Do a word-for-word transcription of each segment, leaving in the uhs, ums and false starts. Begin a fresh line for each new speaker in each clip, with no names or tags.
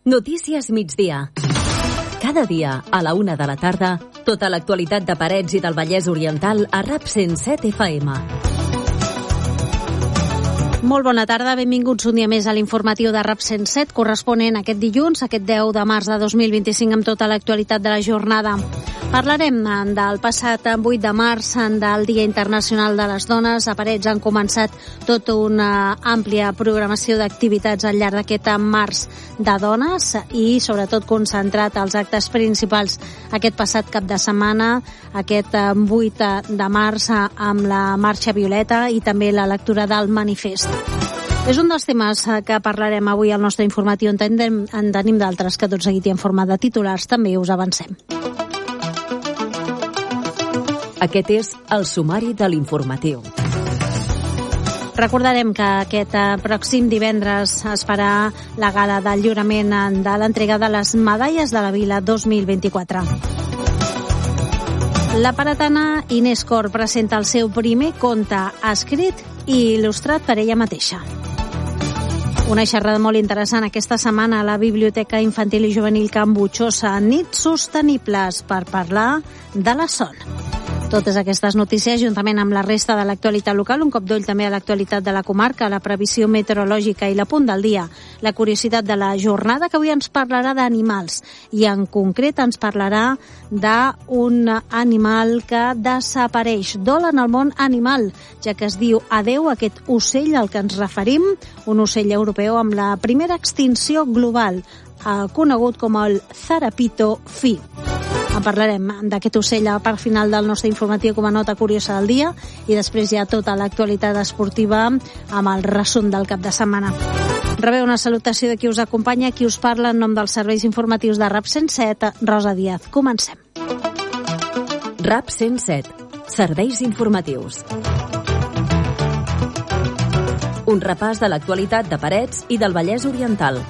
Notícies migdia. Cada dia, a la una de la tarda, tota l'actualitat de Parets i del Vallès Oriental a RAP cent set F M.
Molt bona tarda, benvinguts un dia més a l'informatiu de RAP cent set, corresponent aquest dilluns, aquest deu de març de dos mil vint-i-cinc, amb tota l'actualitat de la jornada. Parlarem del passat vuit de març, del Dia Internacional de les Dones. A Parets han començat tota una àmplia programació d'activitats al llarg d'aquest març de dones i sobretot concentrat als actes principals aquest passat cap de setmana, aquest vuit de març, amb la Marxa Violeta i també la lectura del manifest. És un dels temes que parlarem avui al nostre informatiu. En tenim, en tenim d'altres que tot seguit i en forma de titulars també us avancem.
Aquest és el sumari de l'informatiu.
Recordarem que aquest pròxim divendres es farà la gala del lliurament de l'entrega de les medalles de la Vila dos mil vint-i-quatre. La paratana Inés Cor presenta el seu primer conte escrit i il·lustrat per ella mateixa. Una xerrada molt interessant aquesta setmana a la Biblioteca Infantil i Juvenil Can Butxosa, nits sostenibles per parlar de la son. Totes aquestes notícies, juntament amb la resta de l'actualitat local, un cop d'ull també a l'actualitat de la comarca, la previsió meteorològica i la punt del dia, la curiositat de la jornada, que avui ens parlarà d'animals i en concret ens parlarà d'un animal que desapareix. Dol en el món animal, ja que es diu adeu a aquest ocell al que ens referim, un ocell europeu amb la primera extinció global, eh, conegut com el zarapito fi. En parlarem d'aquest ocell a part final del nostre informatiu com a nota curiosa del dia i després hi ha tota l'actualitat esportiva amb el resum del cap de setmana. Rebeu una salutació de qui us acompanya, qui us parla en nom dels serveis informatius de RAP cent set, Rosa Díaz. Comencem.
RAP cent set, serveis informatius. Un repàs de l'actualitat de Parets i del Vallès Oriental.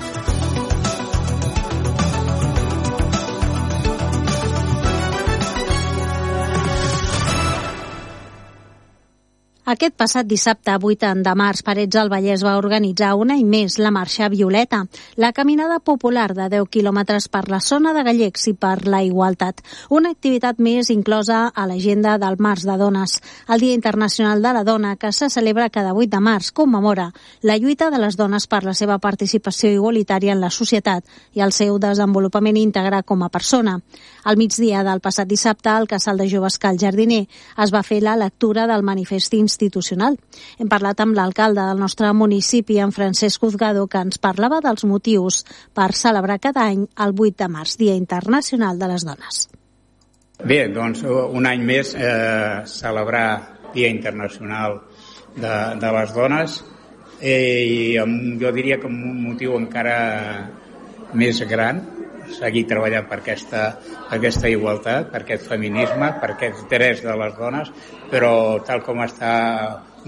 Aquest passat dissabte, vuit de març, Parets del Vallès va organitzar un any més la Marxa Violeta, la caminada popular de deu quilòmetres per la zona de Gallecs i per la igualtat. Una activitat més inclosa a l'agenda del març de dones. El Dia Internacional de la Dona, que se celebra cada vuit de març, commemora la lluita de les dones per la seva participació igualitària en la societat i el seu desenvolupament íntegre com a persona. Al migdia del passat dissabte, al Casal de Joves Cal Jardiner, es va fer la lectura del manifest institucional. Hem parlat amb l'alcalde del nostre municipi, en Francesc Uzgado, que ens parlava dels motius per celebrar cada any el vuit de març, Dia Internacional de les Dones.
Bé, doncs un any més eh, celebrar Dia Internacional de, de les Dones eh, i amb, jo diria que amb un motiu encara més gran, seguir treballant per aquesta, per aquesta igualtat, per aquest feminisme, per aquests drets de les dones, però tal com està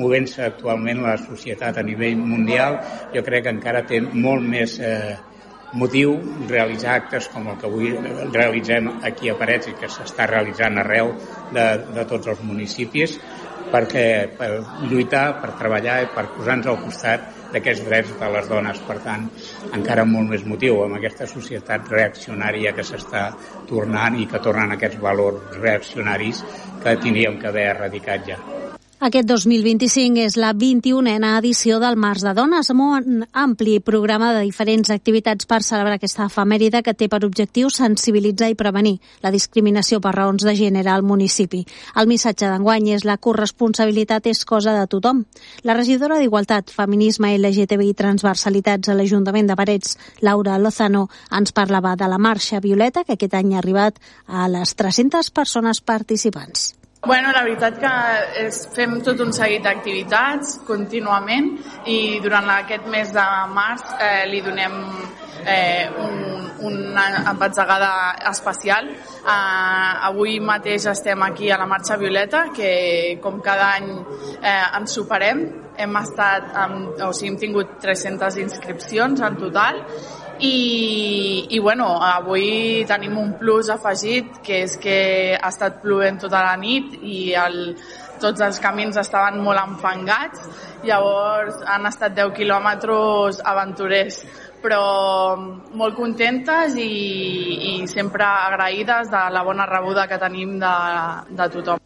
movent-se actualment la societat a nivell mundial, jo crec que encara té molt més eh, motiu realitzar actes com el que avui realitzem aquí a Parets i que s'està realitzant arreu de, de tots els municipis, perquè per lluitar, per treballar i per posar-nos al costat d'aquests drets de les dones. Per tant, encara molt més motiu amb aquesta societat reaccionària que s'està tornant i que tornen aquests valors reaccionaris que tindríem que haver erradicat ja.
Aquest dos mil vint-i-cinc és la vint-i-unena edició del Març de Dones, amb un ampli programa de diferents activitats per celebrar aquesta efemèride que té per objectiu sensibilitzar i prevenir la discriminació per raons de gènere al municipi. El missatge d'enguany és la corresponsabilitat és cosa de tothom. La regidora d'Igualtat, Feminisme, L G T B i Transversalitats a l'Ajuntament de Parets, Laura Lozano, ens parlava de la Marxa Violeta, que aquest any ha arribat a les tres-centes persones participants.
Bueno, la veritat que és, fem tot un seguit d'activitats contínuament i durant aquest mes de març eh, li donem eh, un, una embatzegada especial. Eh, avui mateix estem aquí a la Marxa Violeta, que com cada any eh, ens superem. Hem estat, amb, o sigui, hem tingut tres-centes inscripcions en total. I, i bueno, avui tenim un plus afegit, que és que ha estat plovent tota la nit i el, tots els camins estaven molt enfangats, llavors han estat deu quilòmetres aventurers, però molt contentes i, i sempre agraïdes de la bona rebuda que tenim de, de tothom.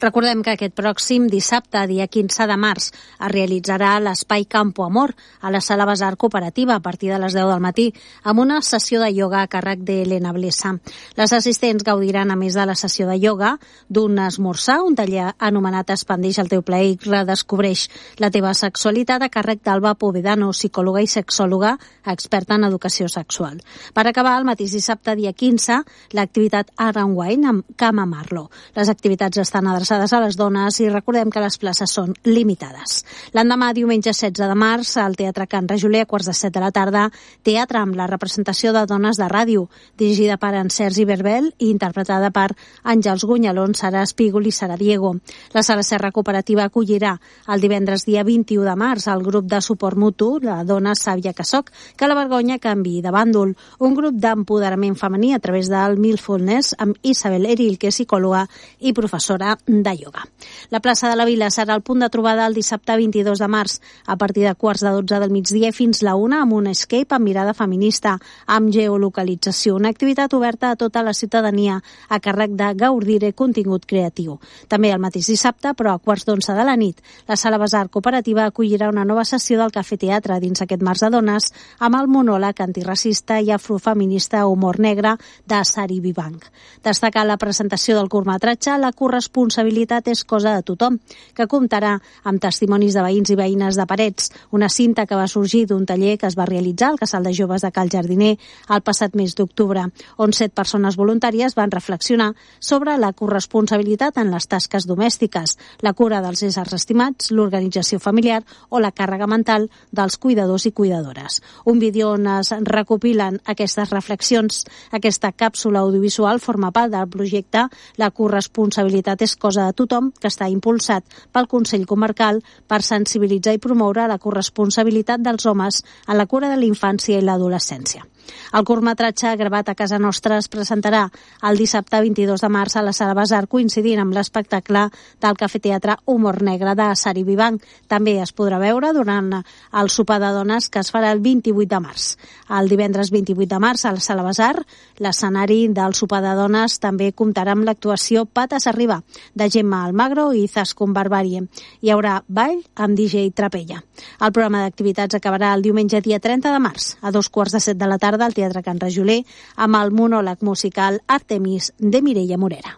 Recordem que aquest pròxim dissabte, dia quinze de març, es realitzarà l'Espai Campo Amor a la Sala Basar Cooperativa a partir de les deu del matí, amb una sessió de ioga a càrrec d'Helena Blesa. Les assistents gaudiran, a més de la sessió de ioga, d'un esmorzar, un taller anomenat Expandeix el teu plaer i redescobreix la teva sexualitat, a càrrec d'Alba Povedano, psicòloga i sexòloga experta en educació sexual. Per acabar, el mateix dissabte, dia quinze, l'activitat Art and Wine amb Cama Marlo. Les activitats estan adreçades a les dones i recordem que les places són limitades. L'endemà, diumenge setze de març, al Teatre Can Rajoler, a quarts de set de la tarda, teatre amb la representació de Dones de Ràdio, dirigida per en Sergi Berbel i interpretada per Àngels Gunyalón, Sara Espígol i Sara Diego. La Sala Serra Cooperativa acollirà el divendres dia vint-i-u de març el grup de suport mutu, la Dona Sàvia que soc, que la vergonya canvi de bàndol, un grup d'empoderament femení a través del Mindfulness amb Isabel Eril, que és psicòloga i professora de ioga. La plaça de la Vila serà el punt de trobada el dissabte vint-i-dos de març, a partir de quarts de dotze del migdia fins la una, amb un escape amb mirada feminista, amb geolocalització, una activitat oberta a tota la ciutadania a càrrec de Gaudire contingut creatiu. També el mateix dissabte, però a quarts d'onze de la nit, la Sala Basar Cooperativa acollirà una nova sessió del Cafè Teatre dins aquest març de dones amb el monòleg antiracista i afrofeminista Humor Negre de Sari Vivanc. Destacar la presentació del curtmetratge La corresponsabilitat és cosa de tothom, que comptarà amb testimonis de veïns i veïnes de Parets, una cinta que va sorgir d'un taller que es va realitzar al Casal de Joves de Cal Jardiner el passat mes d'octubre, on set persones voluntàries van reflexionar sobre la corresponsabilitat en les tasques domèstiques, la cura dels éssers estimats, l'organització familiar o la càrrega mental dels cuidadors i cuidadores. Un vídeo on es recopilen aquestes reflexions. Aquesta càpsula audiovisual forma part del projecte La corresponsabilitat és cosa de tothom, que està impulsat pel Consell Comarcal per sensibilitzar i promoure la corresponsabilitat dels homes en la cura de la infància i l'adolescència. El curtmetratge gravat a casa nostra es presentarà el dissabte vint-i-dos de març a la Sala Basar, coincidint amb l'espectacle del Cafè Teatre Humor Negre de Sari Vivanc. També es podrà veure durant el sopar de dones que es farà el vint-i-vuit de març. El divendres vint-i-vuit de març a la Sala Basar, l'escenari del sopar de dones també comptarà amb l'actuació Pates Arriba, de Gemma Almagro i Zascon Barbarie. Hi haurà ball amb D J Trapella. El programa d'activitats acabarà el diumenge dia trenta de març, a dos quarts de set de la tarda al Teatre Can Rajoler, amb el monòleg musical Artemis de Mireia Morera.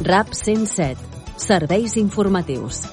RAP cent set. Serveis informatius.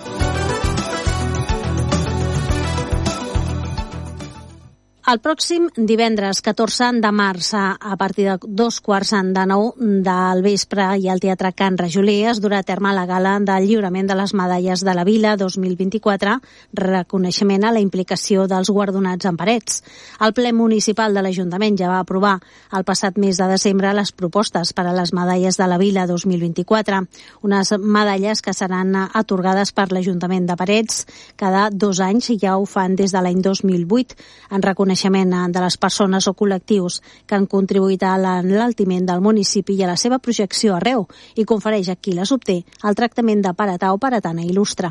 El pròxim divendres catorze de març, a partir de dos quarts de nou del vespre, i al Teatre Can Rajoler es durà a terme la gala del lliurament de les medalles de la Vila dos mil vint-i-quatre, reconeixement a la implicació dels guardonats en Parets. El ple municipal de l'Ajuntament ja va aprovar el passat mes de desembre les propostes per a les medalles de la Vila dos mil vint-i-quatre, unes medalles que seran atorgades per l'Ajuntament de Parets cada dos anys, i ja ho fan des de l'any dos mil vuit, en reconeixement de les persones o col·lectius que han contribuït a l'enaltiment del municipi i a la seva projecció arreu, i confereix a qui les obté el tractament de paratà o paratana il·lustre.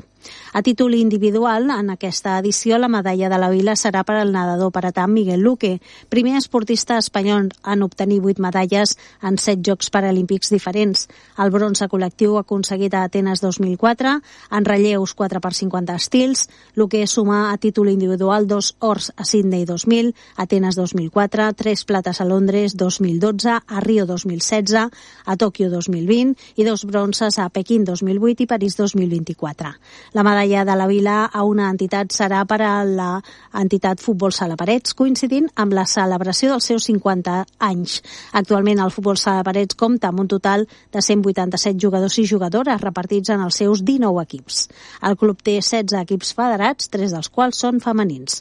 A títol individual, en aquesta edició, la medalla de la Vila serà per al nedador paratà Miguel Luque, primer esportista espanyol en obtenir vuit medalles en set Jocs Paralímpics diferents. El bronze col·lectiu aconseguit a Atenes dos mil quatre, en relleus quatre per cinquanta estils. Luque suma a títol individual dos ors a Sydney dos mil, Atenes dos mil quatre, tres plates a Londres dos mil dotze, a Rio dos mil setze, a Tòquio dos mil vint i dos bronzes a Pequín dos mil vuit i París dos mil vint-i-quatre. La medalla de la Vila a una entitat serà per a la entitat Futbol Sala Parets, coincidint amb la celebració dels seus cinquanta anys. Actualment el Futbol Sala Parets compta amb un total de cent vuitanta-set jugadors i jugadores repartits en els seus dinou equips. El club té setze equips federats, tres dels quals són femenins.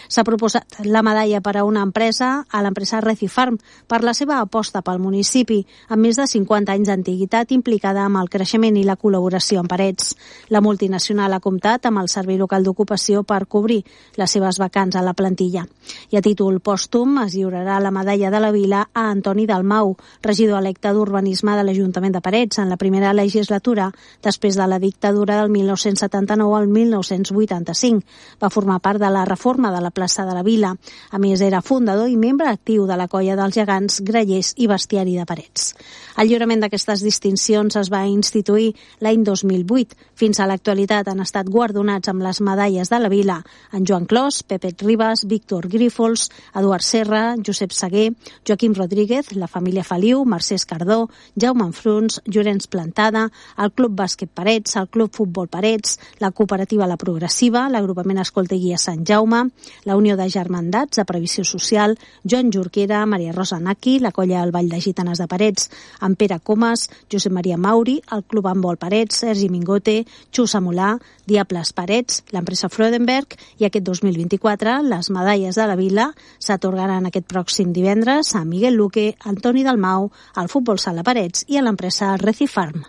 S'ha proposat la medalla per a una empresa, a l'empresa Recifarm, per la seva aposta pel municipi, amb més de cinquanta anys d'antiguitat implicada amb el creixement i la col·laboració amb Parets. La multinacional ha comptat amb el Servei Local d'Ocupació per cobrir les seves vacants a la plantilla. I a títol pòstum es lliurarà la medalla de la Vila a Antoni Dalmau, regidor electe d'Urbanisme de l'Ajuntament de Parets en la primera legislatura, després de la dictadura del mil nou-cents setanta-nou al mil nou-cents vuitanta-cinc. Va formar part de la reforma de la plaça de la Vila. A més, era fundador i membre actiu de la colla dels gegants, grallers i bestiari de Parets. El lliurament d'aquestes distincions es va instituir l'any dos mil vuit. Fins a l'actualitat han estat guardonats amb les medalles de la Vila en Joan Clos, Pepe Ribas, Víctor Grífols, Eduard Serra, Josep Seguer, Joaquim Rodríguez, la família Feliu, Mercè Escardó, Jaume Enfruns, Llorenç Plantada, el Club Bàsquet Parets, el Club Futbol Parets, la Cooperativa La Progressiva, l'Agrupament Escolta i Guia Sant Jaume, la Unió de Germandats de Previsió Social, Joan Jorquera, Maria Rosa Naki, la Colla del Vall de Gitanes de Parets, en Pere Comas, Josep Maria Mauri, el Club Handbol Parets, Sergi Mingote, Xus Amolà, Diables Parets, l'empresa Freudenberg, i aquest dos mil vint-i-quatre les medalles de la Vila s'atorgaran aquest pròxim divendres a Miguel Luque, Antoni Dalmau, al Futbol Sala Parets i a l'empresa Recifarm.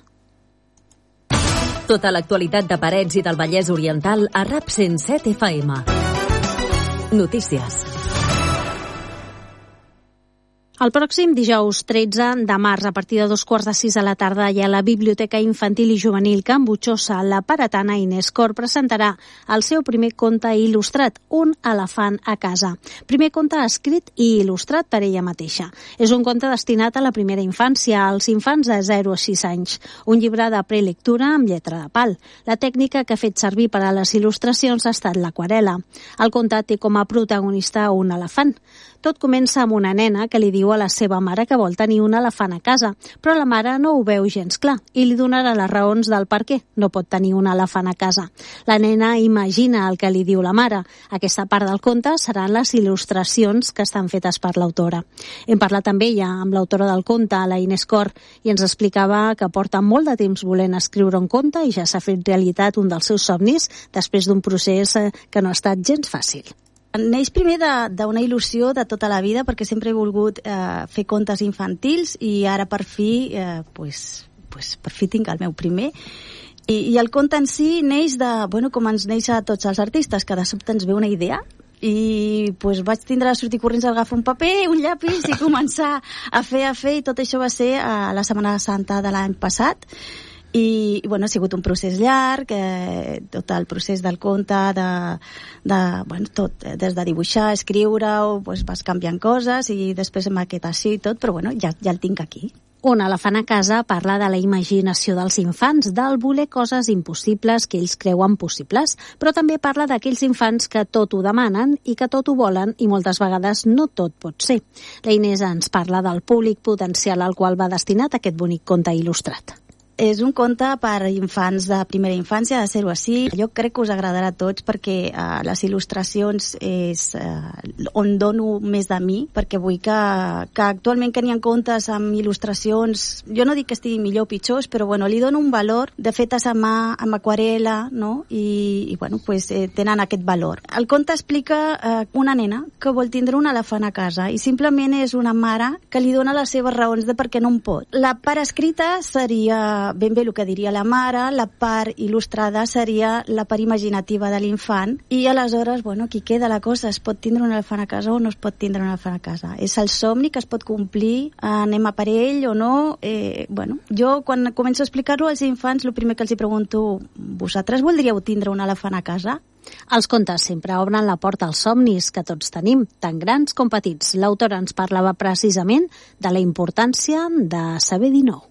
Tota l'actualitat de Parets i del Vallès Oriental a RAP cent set F M. Notícies.
El pròxim dijous tretze de març, a partir de dos quarts de sis de la tarda, hi ha la Biblioteca Infantil i Juvenil Can Butxosa. La paratana Inés Cor presentarà el seu primer conte il·lustrat, Un elefant a casa. Primer conte escrit i il·lustrat per ella mateixa. És un conte destinat a la primera infància, als infants de zero a sis anys. Un llibre de prelectura amb lletra de pal. La tècnica que ha fet servir per a les il·lustracions ha estat l'aquarela. El conte té com a protagonista un elefant. Tot comença amb una nena que li diu a la seva mare que vol tenir un elefant a casa, però la mare no ho veu gens clar i li donarà les raons del per què no pot tenir un elefant a casa. La nena imagina el que li diu la mare. Aquesta part del conte seran les il·lustracions que estan fetes per l'autora. Hem parlat amb ella, amb l'autora del conte, la Inés Cor, i ens explicava que porta molt de temps volent escriure un conte i ja s'ha fet realitat un dels seus somnis després d'un procés que no ha estat gens fàcil.
Neix primer d'una il·lusió de tota la vida, perquè sempre he volgut eh, fer contes infantils i ara per fi, eh, pues, pues, per fi tinc el meu primer. I, i el conte en si neix de, bueno, com ens neix a tots els artistes, que de sobte ens ve una idea i pues, vaig tindre de sortir corrents a agafar un paper, un llapis i començar a fer, a fer, i tot això va ser a la Setmana Santa de l'any passat. I, i bueno, ha sigut un procés llarg, eh, tot el procés del conte, de, de, bueno, tot, des de dibuixar, escriure-ho, pues, vas canviant coses i després amb maquetació i tot, però bueno, ja, ja el tinc aquí.
Un elefant a casa parla de la imaginació dels infants, del voler coses impossibles que ells creuen possibles, però també parla d'aquells infants que tot ho demanen i que tot ho volen i moltes vegades no tot pot ser. La Inés ens parla del públic potencial al qual va destinat aquest bonic conte il·lustrat.
És un conte per infants de primera infància, de zero a sis. Jo crec que us agradarà a tots perquè uh, les il·lustracions és uh, on dono més de mi, perquè vull que, que actualment que n'hi ha contes amb il·lustracions, jo no dic que estiguin millor o pitjors, però bueno, li dono un valor de fetes a mà, amb aquarela, no? I, i bueno, pues, eh, tenen aquest valor. El conte explica uh, una nena que vol tindre un elefant a casa i simplement és una mare que li dona les seves raons de per què no en pot. La part escrita seria ben bé el que diria la mare, la part il·lustrada seria la part imaginativa de l'infant i aleshores, bueno, aquí queda la cosa, es pot tindre un elefant a casa o no es pot tindre un elefant a casa. És el somni que es pot complir, anem a per ell o no, eh, bueno, jo quan començo a explicar-ho als infants, el primer que els hi pregunto, vosaltres voldríeu tindre un elefant a casa?
Els contes sempre obren la porta als somnis que tots tenim, tant grans com petits. L'autora ens parlava precisament de la importància de saber dir no.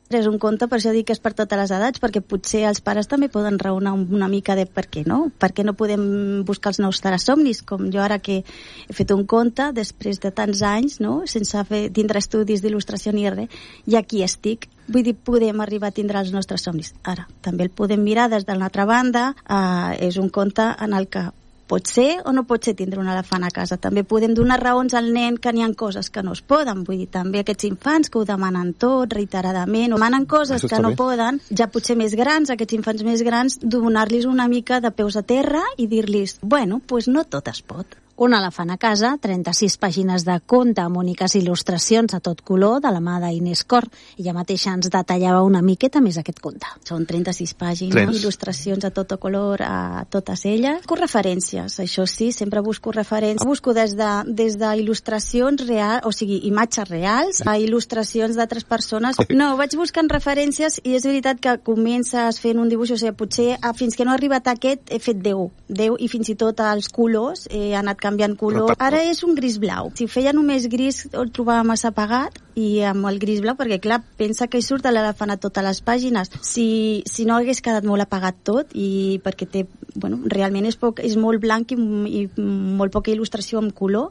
És un conte, per això dic que és per totes les edats, perquè potser els pares també poden raonar una mica de per què no, per què no podem buscar els nous somnis, com jo ara que he fet un conte després de tants anys, no? Sense fer, tindre estudis d'il·lustració ni res, i aquí estic. Vull dir, podem arribar a tindre els nostres somnis. Ara, també el podem mirar des de l'altra banda, eh, és un conte en el que Pot ser o no pot ser tindre un elefant a casa. També podem donar raons al nen que n'hi ha coses que no es poden. Vull dir, també aquests infants que ho demanen tot, reiteradament, o demanen coses que no bé. Poden, ja potser més grans, aquests infants més grans, donar-los una mica de peus a terra i dir-los, bueno, doncs pues no tot es pot.
Un elefant a casa, trenta-sis pàgines de conte amb úniques il·lustracions a tot color de la mà d'Inés Cor. Ella mateixa ens detallava una miqueta més aquest conte.
Són trenta-sis pàgines, Trens. il·lustracions a tot color, a totes elles. Busco referències, això sí, sempre busco referències. Busco des de, des de il·lustracions reals, o sigui, imatges reals, a il·lustracions d'altres persones. No, vaig buscant referències i és veritat que comences fent un dibuix, o sigui, potser fins que no ha arribat aquest he fet deu, deu i fins i tot els colors he anat canviant color. Ara és un gris blau. Si feia només gris el trobava massa apagat i amb el gris blau, perquè clar, pensa que hi surt l'elefant a totes les pàgines. Si, si no hagués quedat molt apagat tot i perquè té, bueno, realment és, poc, és molt blanc i, i molt poca il·lustració amb color,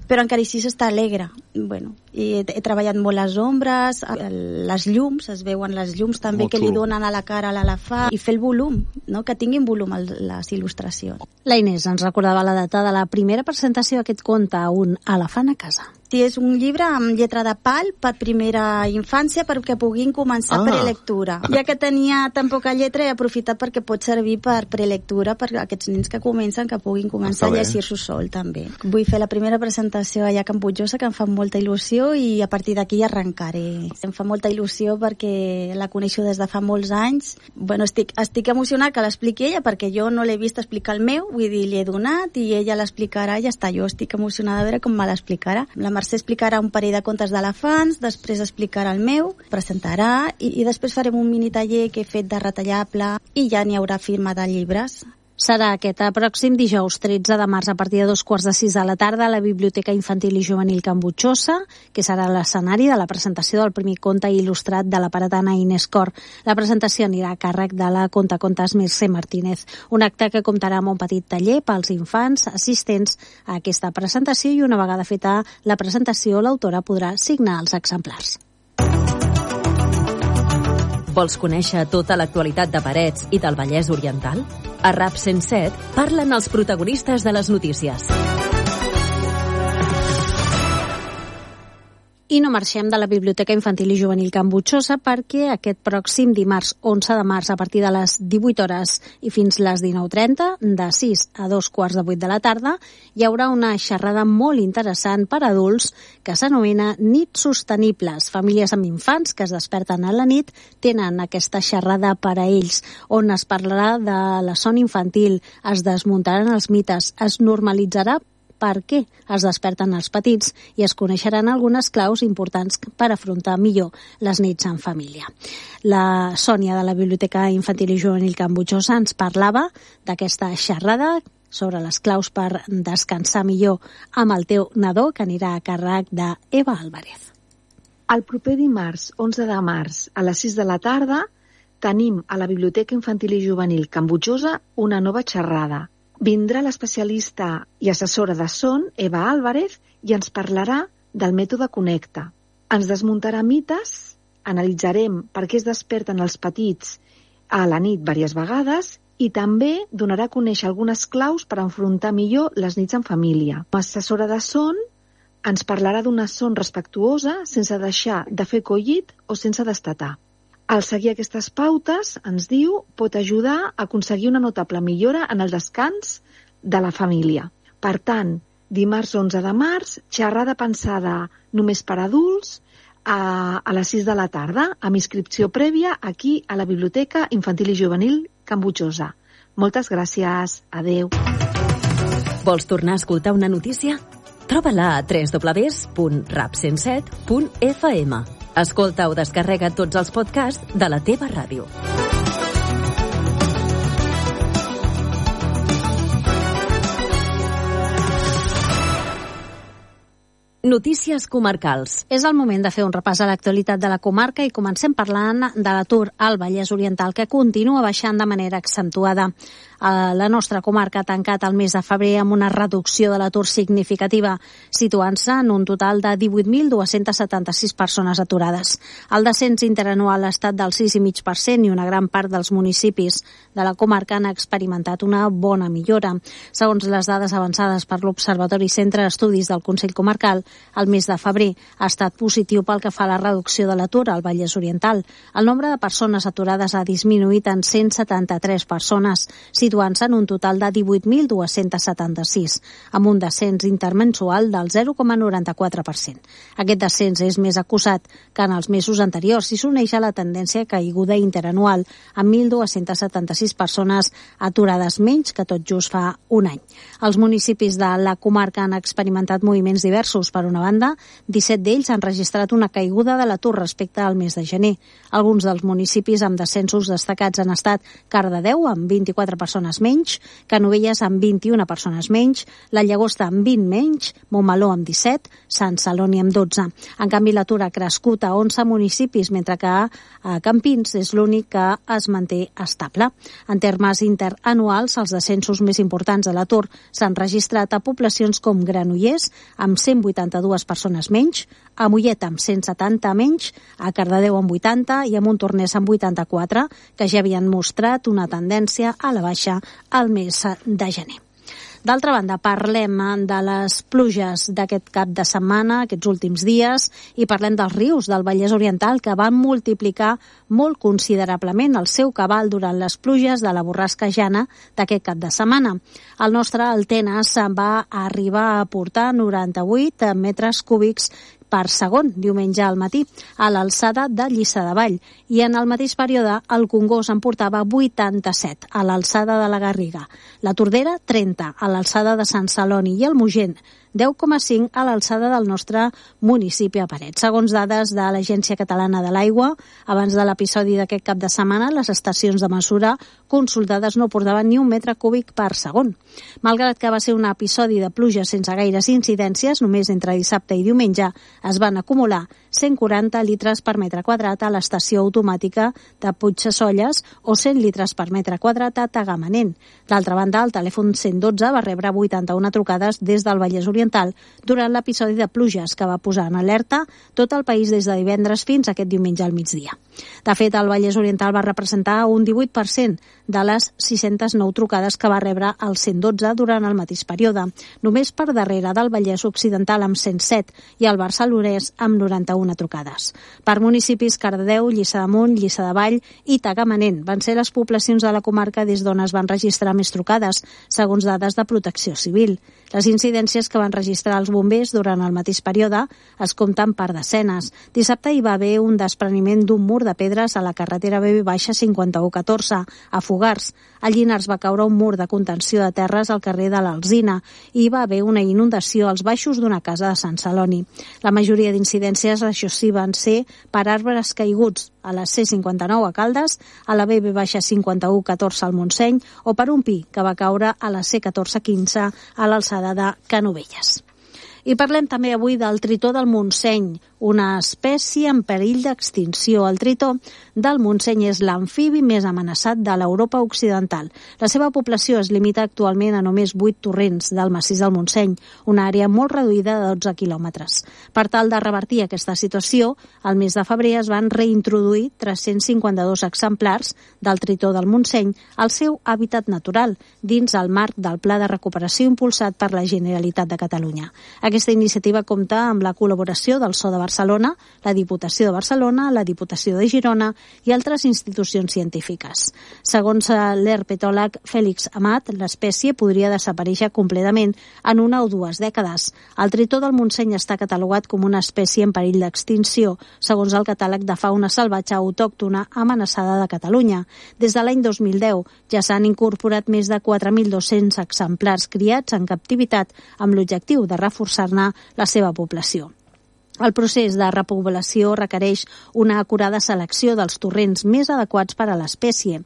però encara així està alegre. Bueno, i he, he treballat molt les ombres, les llums, es veuen les llums també molt que xulo. Li donen a la cara a l'elefant, i fer el volum, no? Que tinguin volum les il·lustracions.
La Inés ens recordava la data de la primera presentació d'aquest conte, Un elefant a casa.
Sí, és un llibre amb lletra de pal per primera infància perquè puguin començar ah. prelectura. Ja que tenia tan poca lletra, he aprofitat perquè pot servir per prelectura per aquests nens que comencen, que puguin començar a llegir-s'ho sol també. Vull fer la primera presentació allà a Can Butjosa, que em fa molta il·lusió, i a partir d'aquí arrencaré. Em fa molta il·lusió perquè la coneixo des de fa molts anys. Bueno, estic, estic emocionat que l'expliqui ella perquè jo no l'he vist explicar el meu, vull dir, li he donat i ella l'explicarà i ja està. Jo estic emocionada a veure com me l'explicarà. La Mercè explicarà un parell de contes d'elefants, després explicarà el meu, presentarà i, i després farem un mini taller que he fet de retallable i ja n'hi haurà firma de llibres.
Serà aquest pròxim dijous tretze de març a partir de dos quarts de sis de la tarda a la Biblioteca Infantil i Juvenil Can Butjosa, que serà l'escenari de la presentació del primer conte il·lustrat de la paratana Inés Cor. La presentació anirà a càrrec de la contacontes Mercè Martínez. Un acte que comptarà amb un petit taller pels infants assistents a aquesta presentació i una vegada feta la presentació l'autora podrà signar els exemplars.
Vols conèixer tota l'actualitat de Parets i del Vallès Oriental? A RAP cent set parlen els protagonistes de les notícies.
I no marxem de la Biblioteca Infantil i Juvenil Can Butjosa perquè aquest pròxim dimarts onze de març a partir de les divuit hores i fins les dinou trenta, de sis a dos quarts de vuit de la tarda, hi haurà una xerrada molt interessant per a adults que s'anomena Nits Sostenibles. Famílies amb infants que es desperten a la nit tenen aquesta xerrada per a ells, on es parlarà de la son infantil, es desmuntaran els mites, es normalitzarà per què es desperten els petits i es coneixeran algunes claus importants per afrontar millor les nits en família. La Sònia de la Biblioteca Infantil i Juvenil Can Butjosa ens parlava d'aquesta xerrada sobre les claus per descansar millor amb el teu nadó, que anirà a càrrec d'Eva Álvarez.
El proper dimarts, onze de març, a les sis de la tarda, tenim a la Biblioteca Infantil i Juvenil Can Butjosa una nova xerrada. Vindrà l'especialista i assessora de son, Eva Álvarez, i ens parlarà del mètode Connecta. Ens desmuntarà mites, analitzarem per què es desperten els petits a la nit diverses vegades i també donarà a conèixer algunes claus per enfrontar millor les nits en família. L'assessora de son ens parlarà d'una son respectuosa sense deixar de fer collit o sense destatar. Al seguir aquestes pautes, ens diu, pot ajudar a aconseguir una notable millora en el descans de la família. Per tant, dimarts onze de març, xerrada pensada només per adults, a, a les sis de la tarda, amb inscripció prèvia aquí a la Biblioteca Infantil i Juvenil Can Butjosa. Moltes gràcies. Adeu.
Vols tornar a escoltar una notícia? Troba-la a w w w punt rap cent set punt f m. Escolta o descarrega tots els podcasts de la teva ràdio. Notícies comarcals.
És el moment de fer un repàs a l'actualitat de la comarca i comencem parlant de l'atur al Vallès Oriental, que continua baixant de manera accentuada. La nostra comarca ha tancat el mes de febrer amb una reducció de l'atur significativa, situant-se en un total de divuit mil dues-centes setanta-sis persones aturades. El descens interanual ha estat del sis coma cinc per cent i una gran part dels municipis de la comarca han experimentat una bona millora. Segons les dades avançades per l'Observatori Centre d'Estudis del Consell Comarcal, el mes de febrer ha estat positiu pel que fa a la reducció de l'atur al Vallès Oriental. El nombre de persones aturades ha disminuït en cent setanta-tres persones, situant-se en un total de divuit mil dues-centes setanta-sis, amb un descens intermensual del zero coma noranta-quatre per cent. Aquest descens és més acusat que en els mesos anteriors i s'uneix a la tendència caiguda interanual, amb mil dues-centes setanta-sis persones aturades menys que tot just fa un any. Els municipis de la comarca han experimentat moviments diversos. Per una banda, disset d'ells han registrat una caiguda de l'atur respecte al mes de gener. Alguns dels municipis amb descensos destacats han estat Cardedeu, amb vint-i-quatre persones menys, Canovelles, amb vint-i-una persones menys, la Llagosta, amb vint menys, Montmeló, amb disset, Sant Celoni, amb dotze. En canvi, l'atur ha crescut a onze municipis, mentre que a Campins és l'únic que es manté estable. En termes interanuals, els descensos més importants de l'atur s'han registrat a poblacions com Granollers, amb cent vuitanta-dues persones menys, a Mollet amb cent setanta menys, a Cardedeu amb vuitanta i a Montornès amb vuitanta-quatre, que ja havien mostrat una tendència a la baixa al mes de gener. D'altra banda, parlem de les pluges d'aquest cap de setmana, aquests últims dies, i parlem dels rius del Vallès Oriental, que van multiplicar molt considerablement el seu cabal durant les pluges de la borrasca Jana d'aquest cap de setmana. El nostre Altenes va arribar a portar noranta-vuit metres cúbics per segon, diumenge al matí, a l'alçada de Lliçà de Vall, i en el mateix període el Congost en portava vuitanta-set, a l'alçada de la Garriga, la Tordera trenta, a l'alçada de Sant Celoni, i el Mogent deu coma cinc a l'alçada del nostre municipi a Paret. Segons dades de l'Agència Catalana de l'Aigua, abans de l'episodi d'aquest cap de setmana, les estacions de mesura consultades no portaven ni un metre cúbic per segon. Malgrat que va ser un episodi de pluja sense gaires incidències, només entre dissabte i diumenge es van acumular cent quaranta litres per metre quadrat a l'estació automàtica de Puigsesolles o cent litres per metre quadrat a Tagamanent. D'altra banda, el telèfon cent dotze va rebre vuitanta-una trucades des del Vallès Oriental durant l'episodi de pluges que va posar en alerta tot el país des de divendres fins aquest diumenge al migdia. De fet, el Vallès Oriental va representar un divuit per cent de les sis-centes nou trucades que va rebre el cent dotze durant el mateix període, només per darrere del Vallès Occidental amb cent set i el Barcelonès amb noranta-una trucades. Per municipis, Cardedeu, Lliçà d'Amunt, Lliçà de Vall i Tagamanent van ser les poblacions de la comarca des d'on es van registrar més trucades, segons dades de Protecció Civil. Les incidències que van registrar els bombers durant el mateix període es compten per desenes. Dissabte hi va haver un despreniment d'un mur de pedres a la carretera B B cinquanta-u catorze, a Fogars. A Llinars va caure un mur de contenció de terres al carrer de l'Alzina i hi va haver una inundació als baixos d'una casa de Sant Celoni. La majoria d'incidències, això sí, van ser per arbres caiguts a la C cinquanta-nou a Caldes, a la B B cinquanta-u catorze al Montseny o per un pi que va caure a la C catorze quinze a l'alçada de Canovelles. I parlem també avui del tritó del Montseny, una espècie en perill d'extinció. El tritó del Montseny és l'amfibi més amenaçat de l'Europa occidental. La seva població es limita actualment a només vuit torrents del massís del Montseny, una àrea molt reduïda de dotze quilòmetres. Per tal de revertir aquesta situació, al mes de febrer es van reintroduir tres-cents cinquanta-dos exemplars del tritó del Montseny al seu hàbitat natural, dins el marc del Pla de Recuperació impulsat per la Generalitat de Catalunya. Aquesta iniciativa compta amb la col·laboració del S O de Barcelona, la Diputació de Barcelona, la Diputació de Girona i altres institucions científiques. Segons l'herpetòleg Fèlix Amat, l'espècie podria desaparèixer completament en una o dues dècades. El tritó del Montseny està catalogat com una espècie en perill d'extinció, segons el catàleg de fauna salvatge autòctona amenaçada de Catalunya. Des de l'any dos mil deu ja s'han incorporat més de quatre mil dos-cents exemplars criats en captivitat amb l'objectiu de reforçar la seva població. El procés de repoblació requereix una acurada selecció dels torrents més adequats per a l'espècie.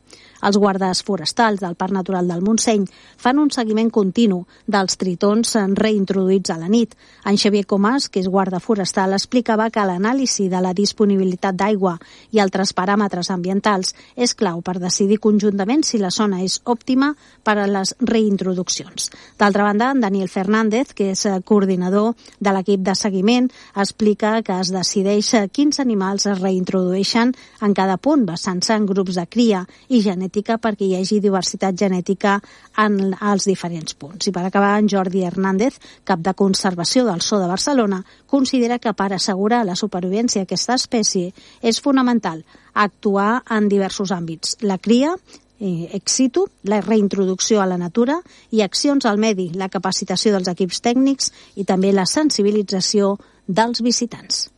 Els guardes forestals del Parc Natural del Montseny fan un seguiment continu dels tritons reintroduïts a la nit. En Xavier Comas, que és guarda forestal, explicava que l'anàlisi de la disponibilitat d'aigua i altres paràmetres ambientals és clau per decidir conjuntament si la zona és òptima per a les reintroduccions. D'altra banda, en Daniel Fernández, que és coordinador de l'equip de seguiment, explica que es decideix quins animals es reintrodueixen en cada punt, basant-se en grups de cria i genètica perquè hi hagi diversitat genètica en els diferents punts. I per acabar, en Jordi Hernández, cap de conservació del Zoo de Barcelona, considera que per assegurar la supervivència d'aquesta espècie és fonamental actuar en diversos àmbits. La cria, Eh, ex situ, la reintroducció a la natura i accions al medi, la capacitació dels equips tècnics i també la sensibilització dels visitants.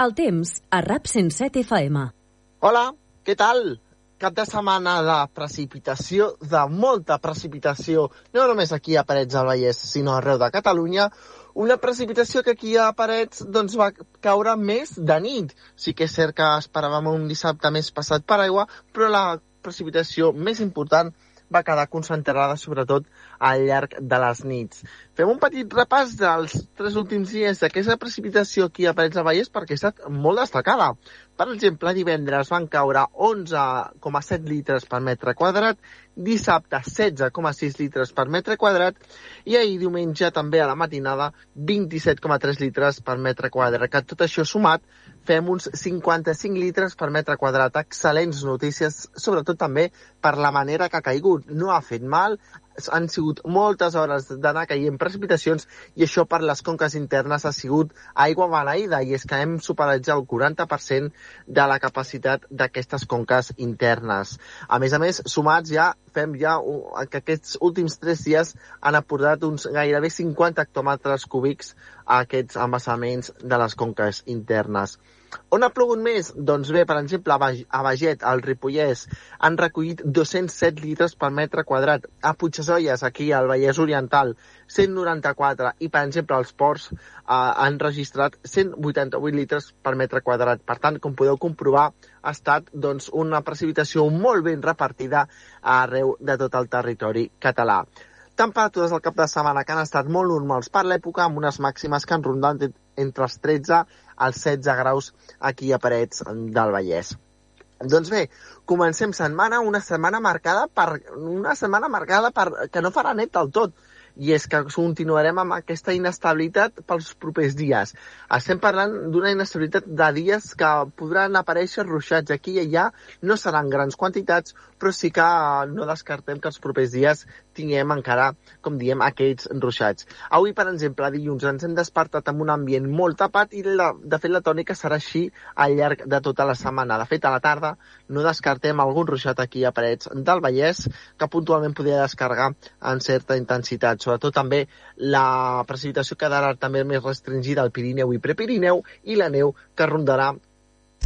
El temps a RAP cent set F M.
Hola, què tal? Cap de setmana de precipitació, de molta precipitació, no només aquí a Parets del Vallès, sinó arreu de Catalunya. Una precipitació que aquí a Parets doncs, va caure més de nit. Sí que és cert que esperàvem un dissabte més passat per aigua, però la precipitació més important va quedar concentrada sobretot al llarg de les nits. Fem un petit repàs dels tres últims dies d'aquesta precipitació aquí a Parets del Vallès perquè ha estat molt destacada. Per exemple, divendres van caure onze coma set litres per metre quadrat, dissabte setze coma sis litres per metre quadrat i ahir diumenge també a la matinada vint-i-set coma tres litres per metre quadrat. Que tot això sumat fem uns cinquanta-cinc litres per metre quadrat. Excel·lents notícies, sobretot també per la manera que ha caigut. No ha fet mal, han sigut moltes hores d'anar caient precipitacions i això per les conques internes ha sigut aigua beneïda i és que hem superat ja el quaranta per cent de la capacitat d'aquestes conques internes. A més a més, sumats ja, fem ja que aquests últims tres dies han aportat uns gairebé cinquanta hectòmetres cúbics a aquests embassaments de les conques internes. On ha plogut més? Doncs bé, per exemple, a Baget, al Ripollès, han recollit dos-cents set litres per metre quadrat. A Puigdesolles, aquí al Vallès Oriental, cent noranta-quatre. I, per exemple, als Ports eh, han registrat cent vuitanta-vuit litres per metre quadrat. Per tant, com podeu comprovar, ha estat doncs, una precipitació molt ben repartida arreu de tot el territori català. Temperatures al cap de setmana que han estat molt normals per l'època, amb unes màximes que han rondat entre els tretze als setze graus aquí a Parets del Vallès. Doncs bé, comencem setmana, una setmana marcada per una setmana marcada per que no farà net del tot. I és que continuarem amb aquesta inestabilitat pels propers dies. Estem parlant d'una inestabilitat de dies que podran aparèixer ruixats aquí i allà, no seran grans quantitats, però sí que no descartem que els propers dies tinguem encara, com diem, aquells ruixats. Avui, per exemple, dilluns, ens hem despertat amb un ambient molt tapat i, la, de fet, la tònica serà així al llarg de tota la setmana. De fet, a la tarda no descartem algun ruixat aquí a Parets del Vallès que puntualment podria descarregar en certa intensitat. Sobretot també la precipitació quedarà també més restringida al Pirineu i Prepirineu i la neu que rondarà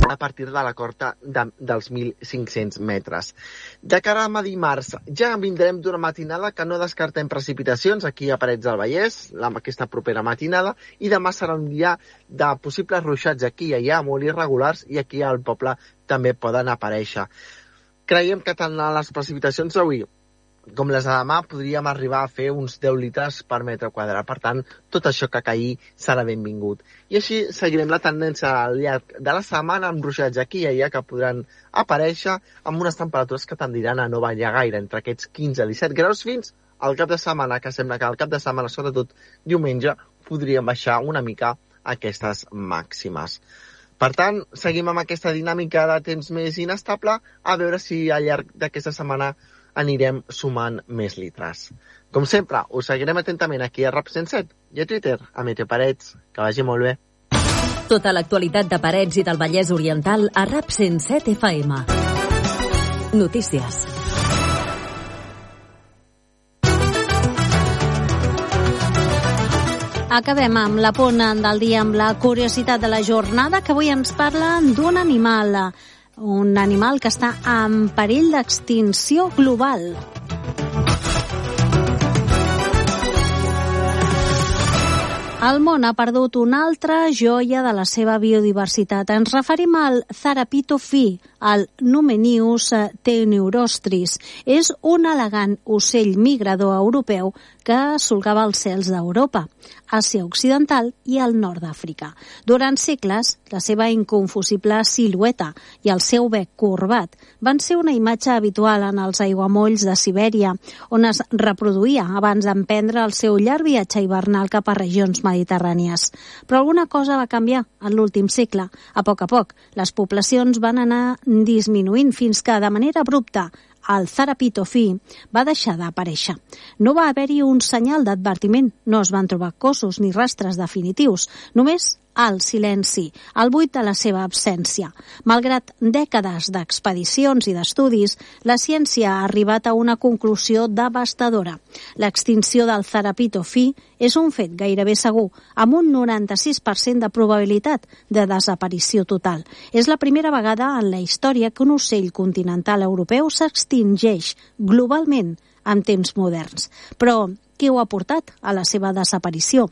a partir de la cota de, dels mil cinc-cents metres. De cara a dimarts, ja vindrem d'una matinada que no descartem precipitacions aquí a Parets del Vallès, aquesta propera matinada, i demà serà un dia de possibles ruixats aquí i allà, molt irregulars, i aquí al poble també poden aparèixer. Creiem que tant les precipitacions d'avui com les de demà podríem arribar a fer uns deu litres per metre quadrat. Per tant, tot això que caigui serà benvingut. I així seguirem la tendència al llarg de la setmana amb ruixats aquí i allà que podran aparèixer amb unes temperatures que tendiran a no ballar gaire, entre aquests quinze a disset graus fins al cap de setmana, que sembla que al cap de setmana, sobretot diumenge, podríem baixar una mica aquestes màximes. Per tant, seguim amb aquesta dinàmica de temps més inestable, a veure si al llarg d'aquesta setmana anirem sumant més litres. Com sempre, us seguirem atentament aquí a RAP cent set i a Twitter, a Meteo Parets. Que vagi molt bé.
Tota l'actualitat de Parets i del Vallès Oriental a RAP cent set F M. Notícies.
Acabem amb la pona del dia amb la curiositat de la jornada, que avui ens parla d'un animal, un animal que està en perill d'extinció global. El món ha perdut una altra joia de la seva biodiversitat. Ens referim al Tharapitophy, el Numenius teneurostris. És un elegant ocell migrador europeu que solcava els cels d'Europa, Àsia Occidental i el nord d'Àfrica. Durant segles, la seva inconfusible silueta i el seu bec corbat van ser una imatge habitual en els aiguamolls de Sibèria, on es reproduïa abans d'emprendre el seu llarg viatge hivernal cap a regions mediterrànies. Però alguna cosa va canviar en l'últim segle. A poc a poc, les poblacions van anar disminuint fins que, de manera abrupta, el Tharapitophy va deixar d'aparèixer. No va haver-hi un senyal d'advertiment, no es van trobar cossos ni rastres definitius, només el silenci, el buit de la seva absència. Malgrat dècades d'expedicions i d'estudis, la ciència ha arribat a una conclusió devastadora. L'extinció del Tharapitophy és un fet gairebé segur, amb un noranta-sis per cent de probabilitat de desaparició total. És la primera vegada en la història que un ocell continental europeu s'extingeix globalment en temps moderns. Però què ho ha portat a la seva desaparició?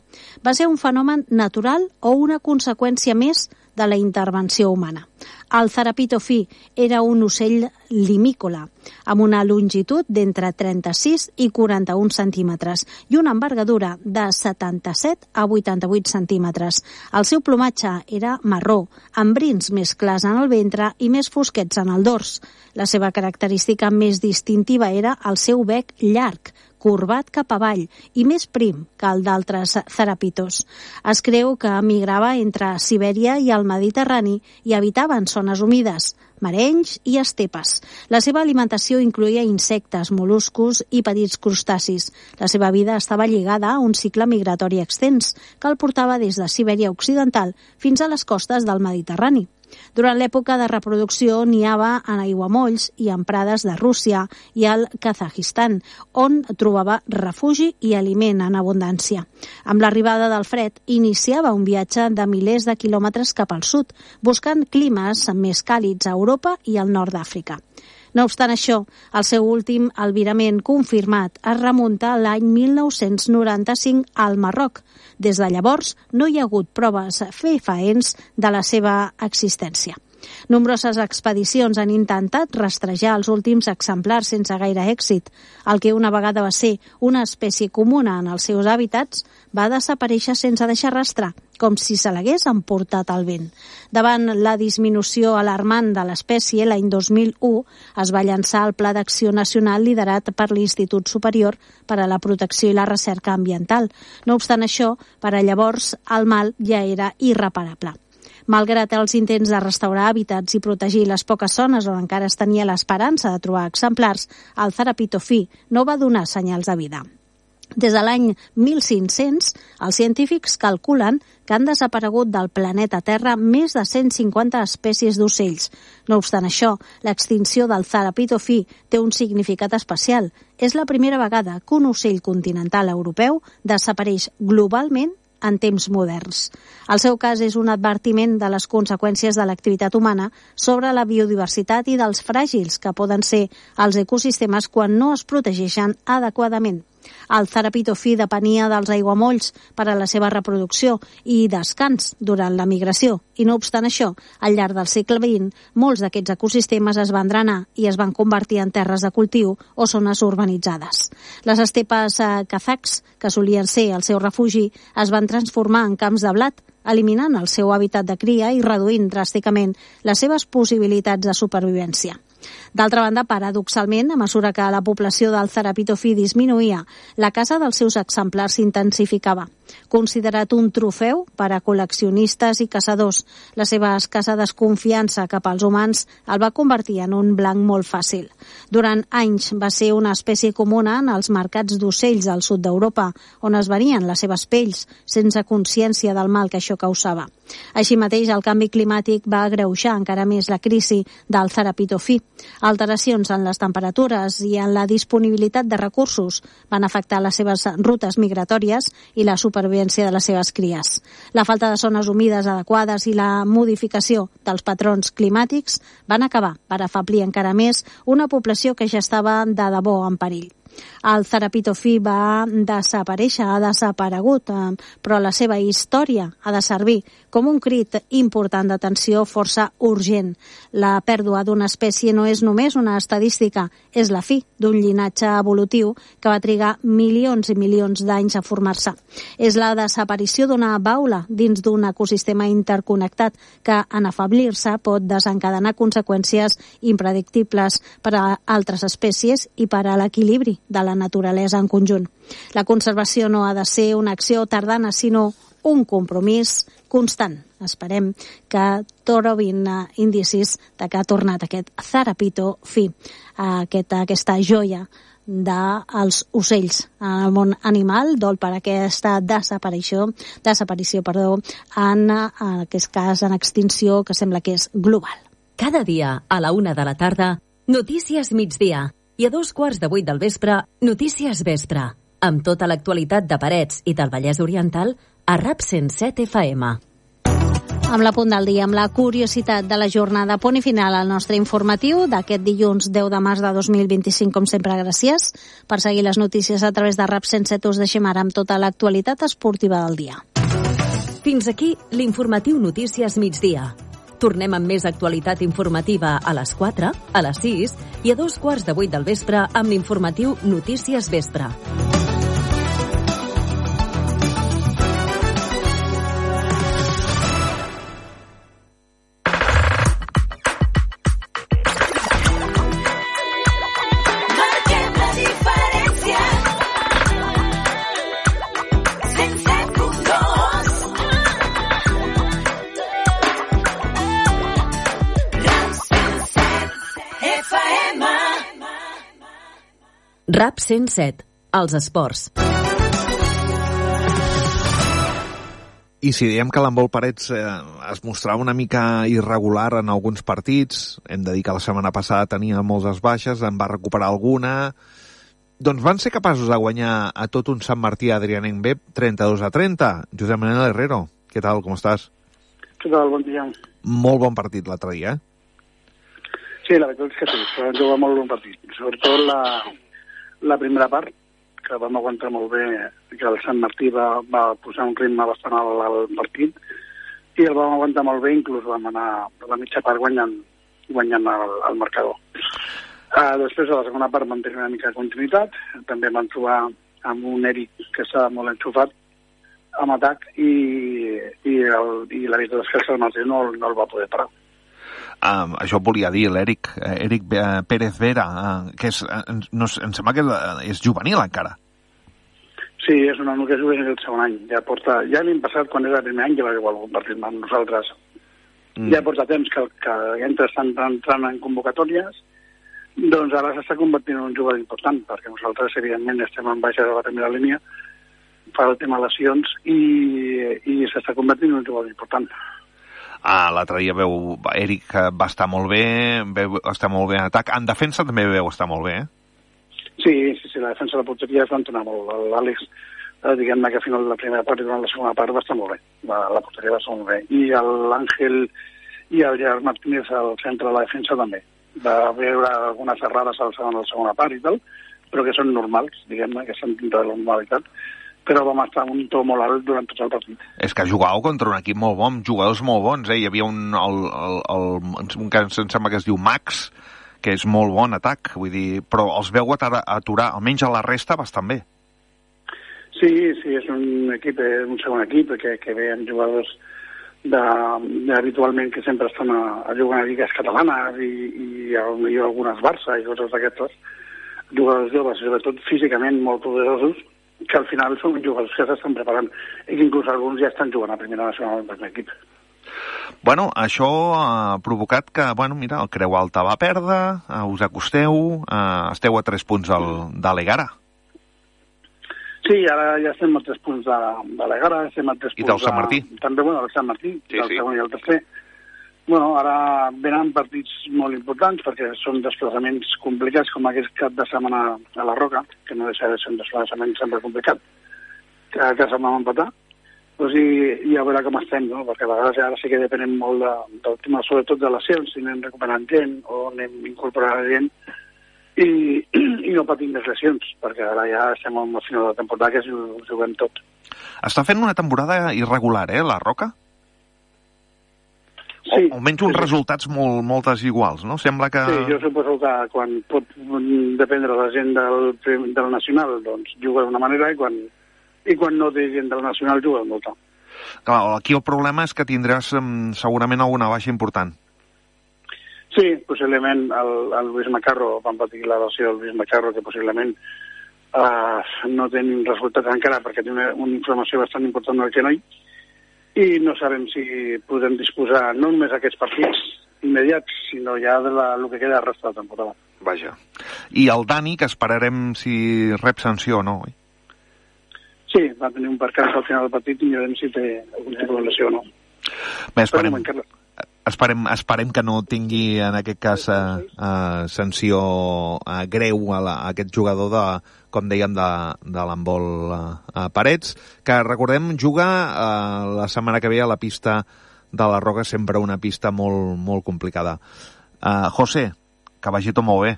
Va ser un fenomen natural o una conseqüència més de la intervenció humana? El Tharapitophy era un ocell limícola, amb una longitud d'entre trenta-sis i quaranta-un centímetres i una envergadura de setanta-set a vuitanta-vuit centímetres. El seu plomatge era marró, amb brins més clars en el ventre i més fosquets en el dors. La seva característica més distintiva era el seu bec llarg, corbat cap avall i més prim que el d'altres tharapitos. Es creu que migrava entre Sibèria i el Mediterrani i habitava en zones humides, marenys i estepes. La seva alimentació incloïa insectes, mol·luscos i petits crustacis. La seva vida estava lligada a un cicle migratori extens que el portava des de Sibèria Occidental fins a les costes del Mediterrani. Durant l'època de reproducció niava en aiguamolls i en prades de Rússia i el Kazajistan, on trobava refugi i aliment en abundància. Amb l'arribada del fred, iniciava un viatge de milers de quilòmetres cap al sud, buscant climes més càlids a Europa i al nord d'Àfrica. No obstant això, el seu últim albirament confirmat es remunta a l'any mil nou-cents noranta-cinc al Marroc. Des de llavors no hi ha hagut proves fefaents de la seva existència. Nombroses expedicions han intentat rastrejar els últims exemplars sense gaire èxit. El que una vegada va ser una espècie comuna en els seus hàbitats va desaparèixer sense deixar rastre, com si se l'hagués emportat al vent. Davant la disminució alarmant de l'espècie, l'any dos mil u es va llançar el Pla d'Acció Nacional liderat per l'Institut Superior per a la Protecció i la Recerca Ambiental. No obstant això, per a llavors el mal ja era irreparable. Malgrat els intents de restaurar hàbitats i protegir les poques zones on encara es tenia l'esperança de trobar exemplars, el Tharapitophy no va donar senyals de vida. Des de l'any mil cinc-cents, els científics calculen que han desaparegut del planeta Terra més de cent cinquanta espècies d'ocells. No obstant això, l'extinció del Tharapitophy té un significat especial. És la primera vegada que un ocell continental europeu desapareix globalment en temps moderns. El seu cas és un advertiment de les conseqüències de l'activitat humana sobre la biodiversitat i dels fràgils que poden ser els ecosistemes quan no es protegeixen adequadament. El Tharapitophy depenia dels aiguamolls per a la seva reproducció i descans durant la migració. I no obstant això, al llarg del segle vint, molts d'aquests ecosistemes es van drenar i es van convertir en terres de cultiu o zones urbanitzades. Les estepes kazaks, que solien ser el seu refugi, es van transformar en camps de blat, eliminant el seu hàbitat de cria i reduint dràsticament les seves possibilitats de supervivència. D'altra banda, paradoxalment, a mesura que la població del Tharapitophy disminuïa, la caça dels seus exemplars s'intensificava. Considerat un trofeu per a col·leccionistes i caçadors, la seva escassa desconfiança cap als humans el va convertir en un blanc molt fàcil. Durant anys va ser una espècie comuna en els mercats d'ocells al sud d'Europa, on es venien les seves pells, sense consciència del mal que això causava. Així mateix, el canvi climàtic va agreujar encara més la crisi del Tharapitophy. Alteracions en les temperatures i en la disponibilitat de recursos van afectar les seves rutes migratòries i la supervivència de les seves cries. La falta de zones humides adequades i la modificació dels patrons climàtics van acabar per afeblir encara més una població que ja estava de debò en perill. El Zarapito Fi va desaparèixer, ha desaparegut, però la seva història ha de servir com un crit important d'atenció força urgent. La pèrdua d'una espècie no és només una estadística, és la fi d'un llinatge evolutiu que va trigar milions i milions d'anys a formar-se. És la desaparició d'una baula dins d'un ecosistema interconnectat que, en afeblir-se, pot desencadenar conseqüències impredictibles per a altres espècies i per a l'equilibri de la naturalesa en conjunt. La conservació no ha de ser una acció tardana, sinó un compromís constant. Esperem que trobin indicis de que ha tornat aquest Zarapito Fi, aquest, aquesta joia dels ocells en el món animal, dol per aquesta desaparició, desaparició perdó, en, en aquest cas en extinció, que sembla que és global.
Cada dia a la una de la tarda, Notícies Migdia, i a dos quarts de vuit del vespre, Notícies Vespre, amb tota l'actualitat de Parets i del Vallès Oriental a RAP cent set F M.
Amb la punt del dia, amb la curiositat de la jornada, punt i final al nostre informatiu d'aquest dilluns deu de març de dos mil vint-i-cinc. Com sempre, gràcies per seguir les notícies a través de RAP cent set. Us deixem ara amb tota l'actualitat esportiva del dia.
Fins aquí l'informatiu Notícies Migdia. Tornem amb més actualitat informativa a les quatre, a les sis i a dos quarts de vuit del vespre amb l'informatiu Notícies Vespre. RAP cent set, els esports.
I si diem que l'handbol Parets eh, es mostrava una mica irregular en alguns partits, hem de dir que la setmana passada tenia moltes baixes, en va recuperar alguna, doncs van ser capaços de guanyar a tot un Sant Martí Adrianenc B trenta-dos a trenta. Josep Manuel Herrero, què tal, com estàs?
Què tal, bon dia.
Molt bon partit l'altre dia, eh?
Sí, la veritat és que sí, que van jugar molt bon partit. Sobretot la, la primera part, que vam aguantar molt bé, que el Sant Martí va, va posar un ritme bastant alt al partit, i el vam aguantar molt bé, inclús vam anar a la mitja part guanyant, guanyant el, el marcador. Uh, després, a la segona part, vam tenir una mica de continuïtat, també vam trobar amb un Eric que estava molt enxufat amb atac, i, i, el, i la veritat és que el Sant Martí no, no el va poder parar.
Um, això volia dir l'Eric Eric Pérez Vera, uh, que és, uh, no, em sembla que és juvenil encara.
Sí, és un home que és juvenil el segon any. Ja porta, ja l'any passat, quan era el primer any, ja va jugar algun partit amb nosaltres. Mm. Ja porta temps que, que entra estan entrant en convocatòries, doncs ara s'està convertint en un jugador important, perquè nosaltres, evidentment, estem en baixa de la primera línia, fa el tema de lesions, i, i s'està convertint en un jugador important.
Ah, l'altre dia veu, Eric va estar molt bé, veu estar molt bé en atac. En defensa també veu estar molt bé, eh?
Sí, sí, sí, la defensa de la porteria es va entonar molt. L'Àlex, eh, diguem-ne que a final de la primera part i durant la segona part va estar molt bé. La, la porteria va estar molt bé. I l'Àngel i el Gerard Martínez al centre de la defensa també. Va veure algunes errades al segon, a la segona part i tal, però que són normals, diguem-ne, que estan dintre de la normalitat. Però vam estar en un to molt alt durant tot el partit.
És que jugàveu contra un equip molt bon, jugadors molt bons, eh? Hi havia un, el, el, el, un que em sembla que es diu Max, que és molt bon atac, vull dir, però els veu aturar, aturar, almenys a la resta, bastant bé.
Sí, sí, és un equip, un segon equip, que, que ve amb jugadors de, de, habitualment que sempre estan a, a jugar a lligues catalanes i, i, i algunes Barça i coses d'aquestes, jugadors joves, sobretot físicament molt poderosos, que al final són jugadors que s'estan preparant i que inclús alguns ja estan jugant a primera nacional del l'equip.
Bueno, això ha provocat que, bueno, mira, el Creu Alta va perdre, uh, us acosteu, uh, esteu a tres punts del, de l'Egara.
Sí, ara ja estem a tres punts de, de l'Egara, estem a tres punts
I del Sant Martí.
De, també, bueno, del Sant Martí,
sí,
del
sí.
segon i el tercer. Bueno, ara venen partits molt importants perquè són desplaçaments complicats com aquest cap de setmana a la Roca, que no deixa de ser un desplaçament sempre complicat, que a casa vam empatar. Pues i, i a veure com estem, no? Perquè a vegades ara sí que depenem molt de, del tema, sobretot de lesions, si anem recuperant gent o anem incorporant gent, i, i no patim més lesions, perquè ara ja estem al final de la temporada que ho juguem tot.
Està fent una temporada irregular, eh, la Roca?
Sí.
O almenys uns
sí, sí.
resultats molt, molt desiguals, no? Sembla que...
Sí, jo suposo que quan pot dependre la gent del, del Nacional, doncs juga d'una manera i quan, i quan no té gent del Nacional juga d'una altra.
Clar, aquí el problema és que tindràs um, segurament alguna baixa important.
Sí, possiblement el, el Luis Macarro, van patir la lesió del Luis Macarro, que possiblement uh, no té resultats encara perquè té una, una inflamació bastant important del genoll, i no sabem si podem disposar no només d'aquests partits immediats, sinó ja de la, el que queda de resta de la temporada.
Vaja. I el Dani, que esperarem si rep sanció o no, oi?
Sí, va tenir un percans al final del partit i mirarem si té algun tipus de lesió o no.
Bé, esperem... Esperem, esperem que no tingui, en aquest cas, eh, eh, sanció eh, greu a, la, a aquest jugador, de, com dèiem, de, de l'handbol eh, Parets, que, recordem, juga eh, la setmana que ve a la pista de la Roca, sempre una pista molt, molt complicada. Eh, José, que vagi tot molt bé.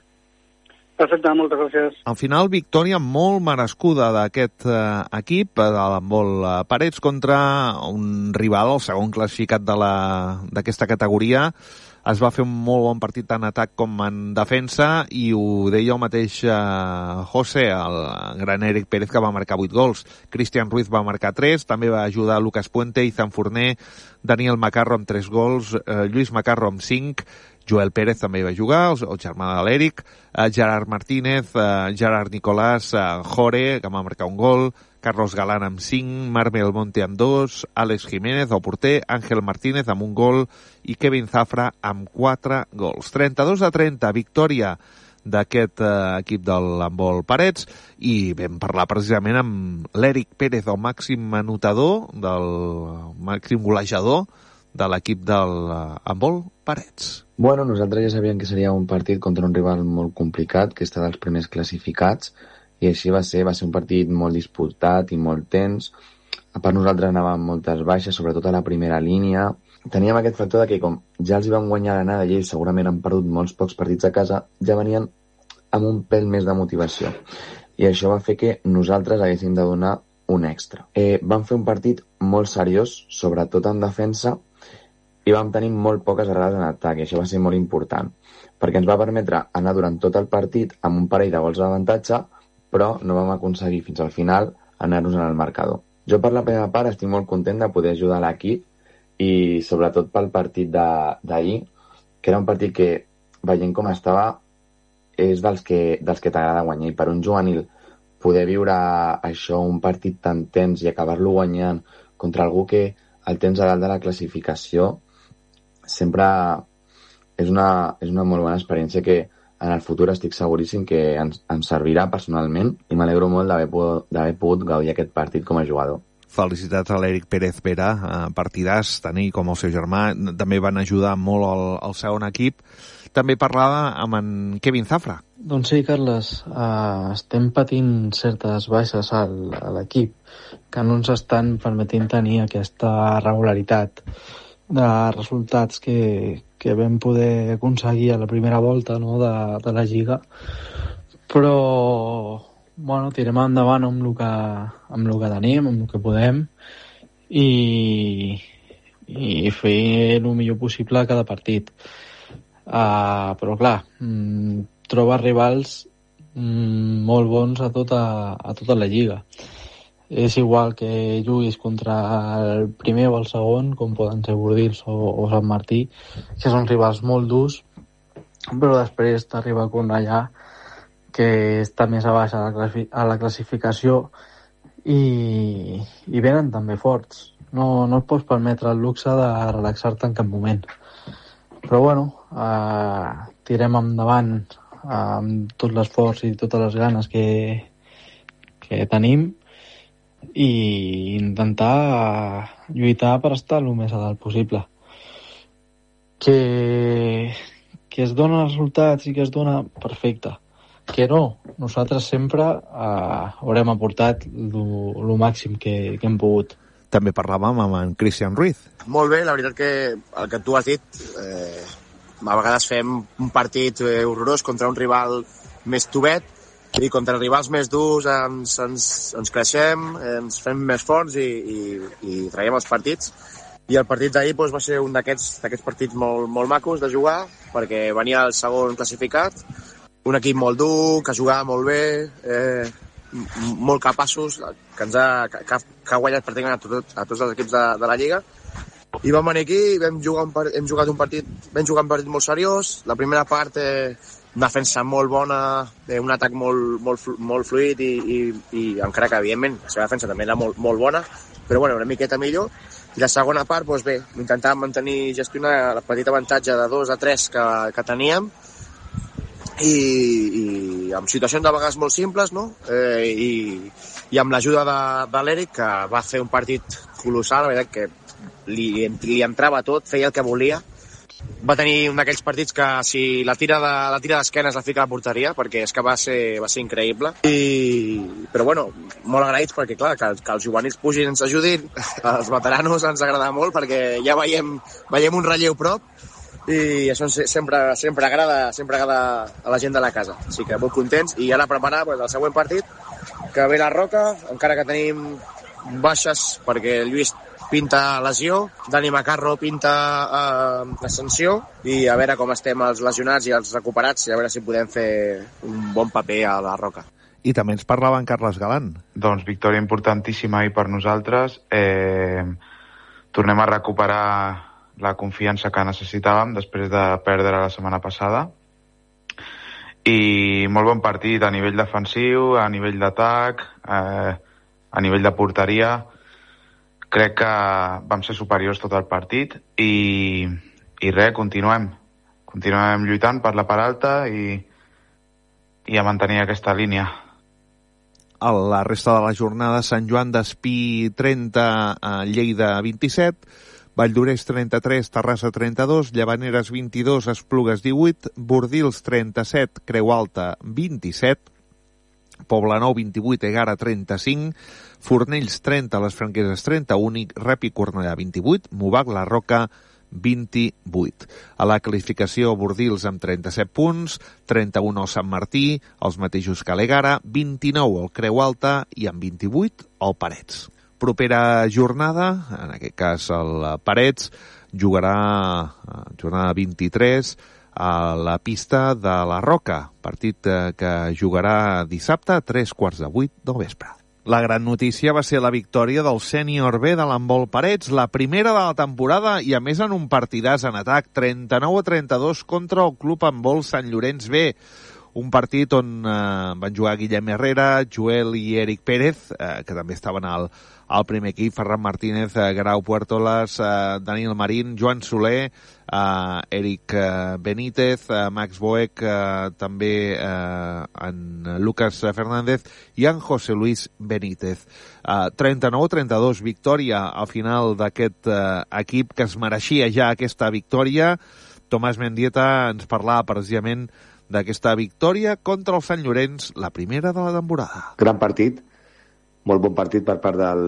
Perfecte, moltes gràcies.
Al final, victòria molt merescuda d'aquest eh, equip, de l'handbol eh, Parets, contra un rival, el segon classificat de la, d'aquesta categoria. Es va fer un molt bon partit tant en atac com en defensa, i ho deia el mateix eh, José, el gran Eric Pérez, que va marcar vuit gols. Cristian Ruiz va marcar tres, també va ajudar Lucas Puente, Izan Forner, Daniel Macarro amb tres gols, eh, Lluís Macarro amb cinc, Joel Pérez també va jugar, el germà de l'Eric, eh, Gerard Martínez, eh, Gerard Nicolás, eh, Jore, que va marcar un gol, Carlos Galán amb cinc, Marc Belmonte amb dos, Àlex Jiménez, el porter, Ángel Martínez amb un gol i Kevin Zafra amb quatre gols. trenta-dos a trenta, victòria d'aquest eh, equip de l'handbol Parets, i vam parlar precisament amb l'Eric Pérez, el màxim anotador, del màxim golejador de l'equip del handbol Parets.
Bueno, nosaltres ja sabíem que seria un partit contra un rival molt complicat, que està dels primers classificats, i així va ser, va ser un partit molt disputat i molt tens. A part, nosaltres anàvem amb moltes baixes, sobretot a la primera línia. Teníem aquest factor de que, com ja els hi vam guanyar l'anada i ells segurament han perdut molts pocs partits a casa, ja venien amb un pèl més de motivació. I això va fer que nosaltres haguéssim de donar un extra. Eh, vam fer un partit molt seriós, sobretot en defensa, i vam tenir molt poques errades en atac, i això va ser molt important, perquè ens va permetre anar durant tot el partit amb un parell de gols d'avantatge, però no vam aconseguir fins al final anar-nos en el marcador. Jo per la primera part estic molt content de poder ajudar l'equip, i sobretot pel partit d'ahir, que era un partit que, veient com estava, és dels que, dels que t'agrada guanyar, i per un juvenil poder viure això, un partit tan tens i acabar-lo guanyant contra algú que el tens a dalt de la classificació, sempre és una, és una molt bona experiència que en el futur estic seguríssim que ens, ens servirà personalment, i m'alegro molt d'haver d'haver pogut gaudir aquest partit com a jugador.
Felicitats a l'Eric Pérez Vera, partidàs, tant ell com el seu germà, també van ajudar molt al, al segon equip. També parlava amb en Kevin Zafra.
Doncs sí, Carles, uh, estem patint certes baixes al, a l'equip que no ens estan permetint tenir aquesta regularitat de resultats que, que vam poder aconseguir a la primera volta, no, de, de la Lliga, però bueno, tirem endavant amb el que, amb el que tenim, amb el que podem, i, i fer el millor possible a cada partit. Uh, però clar, mm, troba rivals mm, molt bons a tota, a tota la Lliga. És igual que juguis contra el primer o el segon, com poden ser Bordils o, o Sant Martí, que són rivals molt durs, però després t'arriba a Cornellà, que està més a baix a la, a la classificació, i, i venen també forts. No, no et pots permetre el luxe de relaxar-te en cap moment. Però bueno, eh, tirem endavant eh, amb tot l'esforç i totes les ganes que, que tenim, i intentar lluitar per estar el més a dalt possible. Que, que es dona resultats i que es dona perfecte. Que no, nosaltres sempre eh, haurem aportat el màxim que, que hem pogut.
També parlàvem amb en Cristian Ruiz.
Molt bé, la veritat que el que tu has dit, eh, a vegades fem un partit eh, horrorós contra un rival més tovet, i contra rivals més durs ens, ens, ens creixem, ens fem més forts i, i, i traiem els partits. I el partit d'ahir doncs, va ser un d'aquests partits molt, molt macos de jugar, perquè venia el segon classificat, un equip molt dur, que jugava molt bé, eh, molt capaços, que, ens ha, que, que ha guanyat pràcticament a, tot, a tots els equips de, de la Lliga. I vam venir aquí, vam jugar un, hem jugat un partit, vam jugar un partit molt seriós. La primera part, eh, una defensa molt bona, eh, un atac molt, molt, molt fluid i, i, i encara que, evidentment, la seva defensa també era molt, molt bona, però bueno, una miqueta millor. I la segona part, doncs bé, intentàvem mantenir, gestionar el petit avantatge de dos a tres que, que teníem, i, i amb situacions de vegades molt simples, no? Eh, i, i amb l'ajuda de, de l'Eric, que va fer un partit colossal, la veritat que li, li entrava tot, feia el que volia. Va tenir un d'aquells partits que si la tira de, la tira d'esquenes la fica a la porteria, perquè és que va ser, va ser increïble. I, però bueno, molt agraïts perquè clar, que, que els juvenils pugin i ens ajudin, els veteranos ens agrada molt perquè ja veiem, veiem un relleu prop i això sempre, sempre, agrada, sempre agrada a la gent de la casa. Així que molt contents i ara preparar pues, el següent partit, que ve la Roca, encara que tenim baixes perquè el Lluís pinta lesió, Dani Macarro pinta eh, ascensió i a veure com estem els lesionats i els recuperats i a veure si podem fer un bon paper a la Roca.
I també ens parlava en Carles Galán.
Doncs victòria importantíssima i per nosaltres. Eh, tornem a recuperar la confiança que necessitàvem després de perdre la setmana passada. I molt bon partit a nivell defensiu, a nivell d'atac, eh, a nivell de porteria. Crec que vam ser superiors tot el partit i, i res, continuem. Continuem lluitant per la part alta i, i a mantenir aquesta línia.
A la resta de la jornada, Sant Joan d'Espí trenta, Lleida vint-i-set, Valldoreix trenta-tres, Terrassa trenta-dos, Llavaneres vint-i-dos, Esplugues divuit, Bordils trenta-set, Creu Alta vint-i-set, Poblenou vint-i-vuit, Egara trenta-cinc, Fornells trenta, Les Franqueses trenta-un, Rep i Cornellà vint-i-vuit, Movac, La Roca vint-i-vuit. A la classificació, Bordils amb trenta-set punts, trenta-un el Sant Martí, els mateixos que l'Egara, vint-i-nou el Creu Alta i amb vint-i-vuit el Parets. Propera jornada, en aquest cas el Parets, jugarà jornada vint-i-tres a la pista de la Roca, partit que jugarà dissabte a tres quarts de vuit del vespre. La gran notícia va ser la victòria del sènior B de l'handbol Parets, la primera de la temporada i a més en un partidàs en atac, trenta-nou a trenta-dos contra el club handbol Sant Llorenç B. Un partit on eh, van jugar Guillem Herrera, Joel i Eric Pérez, eh, que també estaven al, al primer equip, Ferran Martínez, eh, Grau Puertolas, eh, Daniel Marín, Joan Soler, eh, Eric eh, Benítez, eh, Max Boek, eh, també eh, en Lucas Fernández i en José Luis Benítez. Eh, trenta-nou a trenta-dos, victòria al final d'aquest eh, equip que es mereixia ja aquesta victòria. Tomàs Mendieta ens parlava precisament d'aquesta victòria contra el Sant Llorenç, la primera de la temporada.
Gran partit, molt bon partit per part del,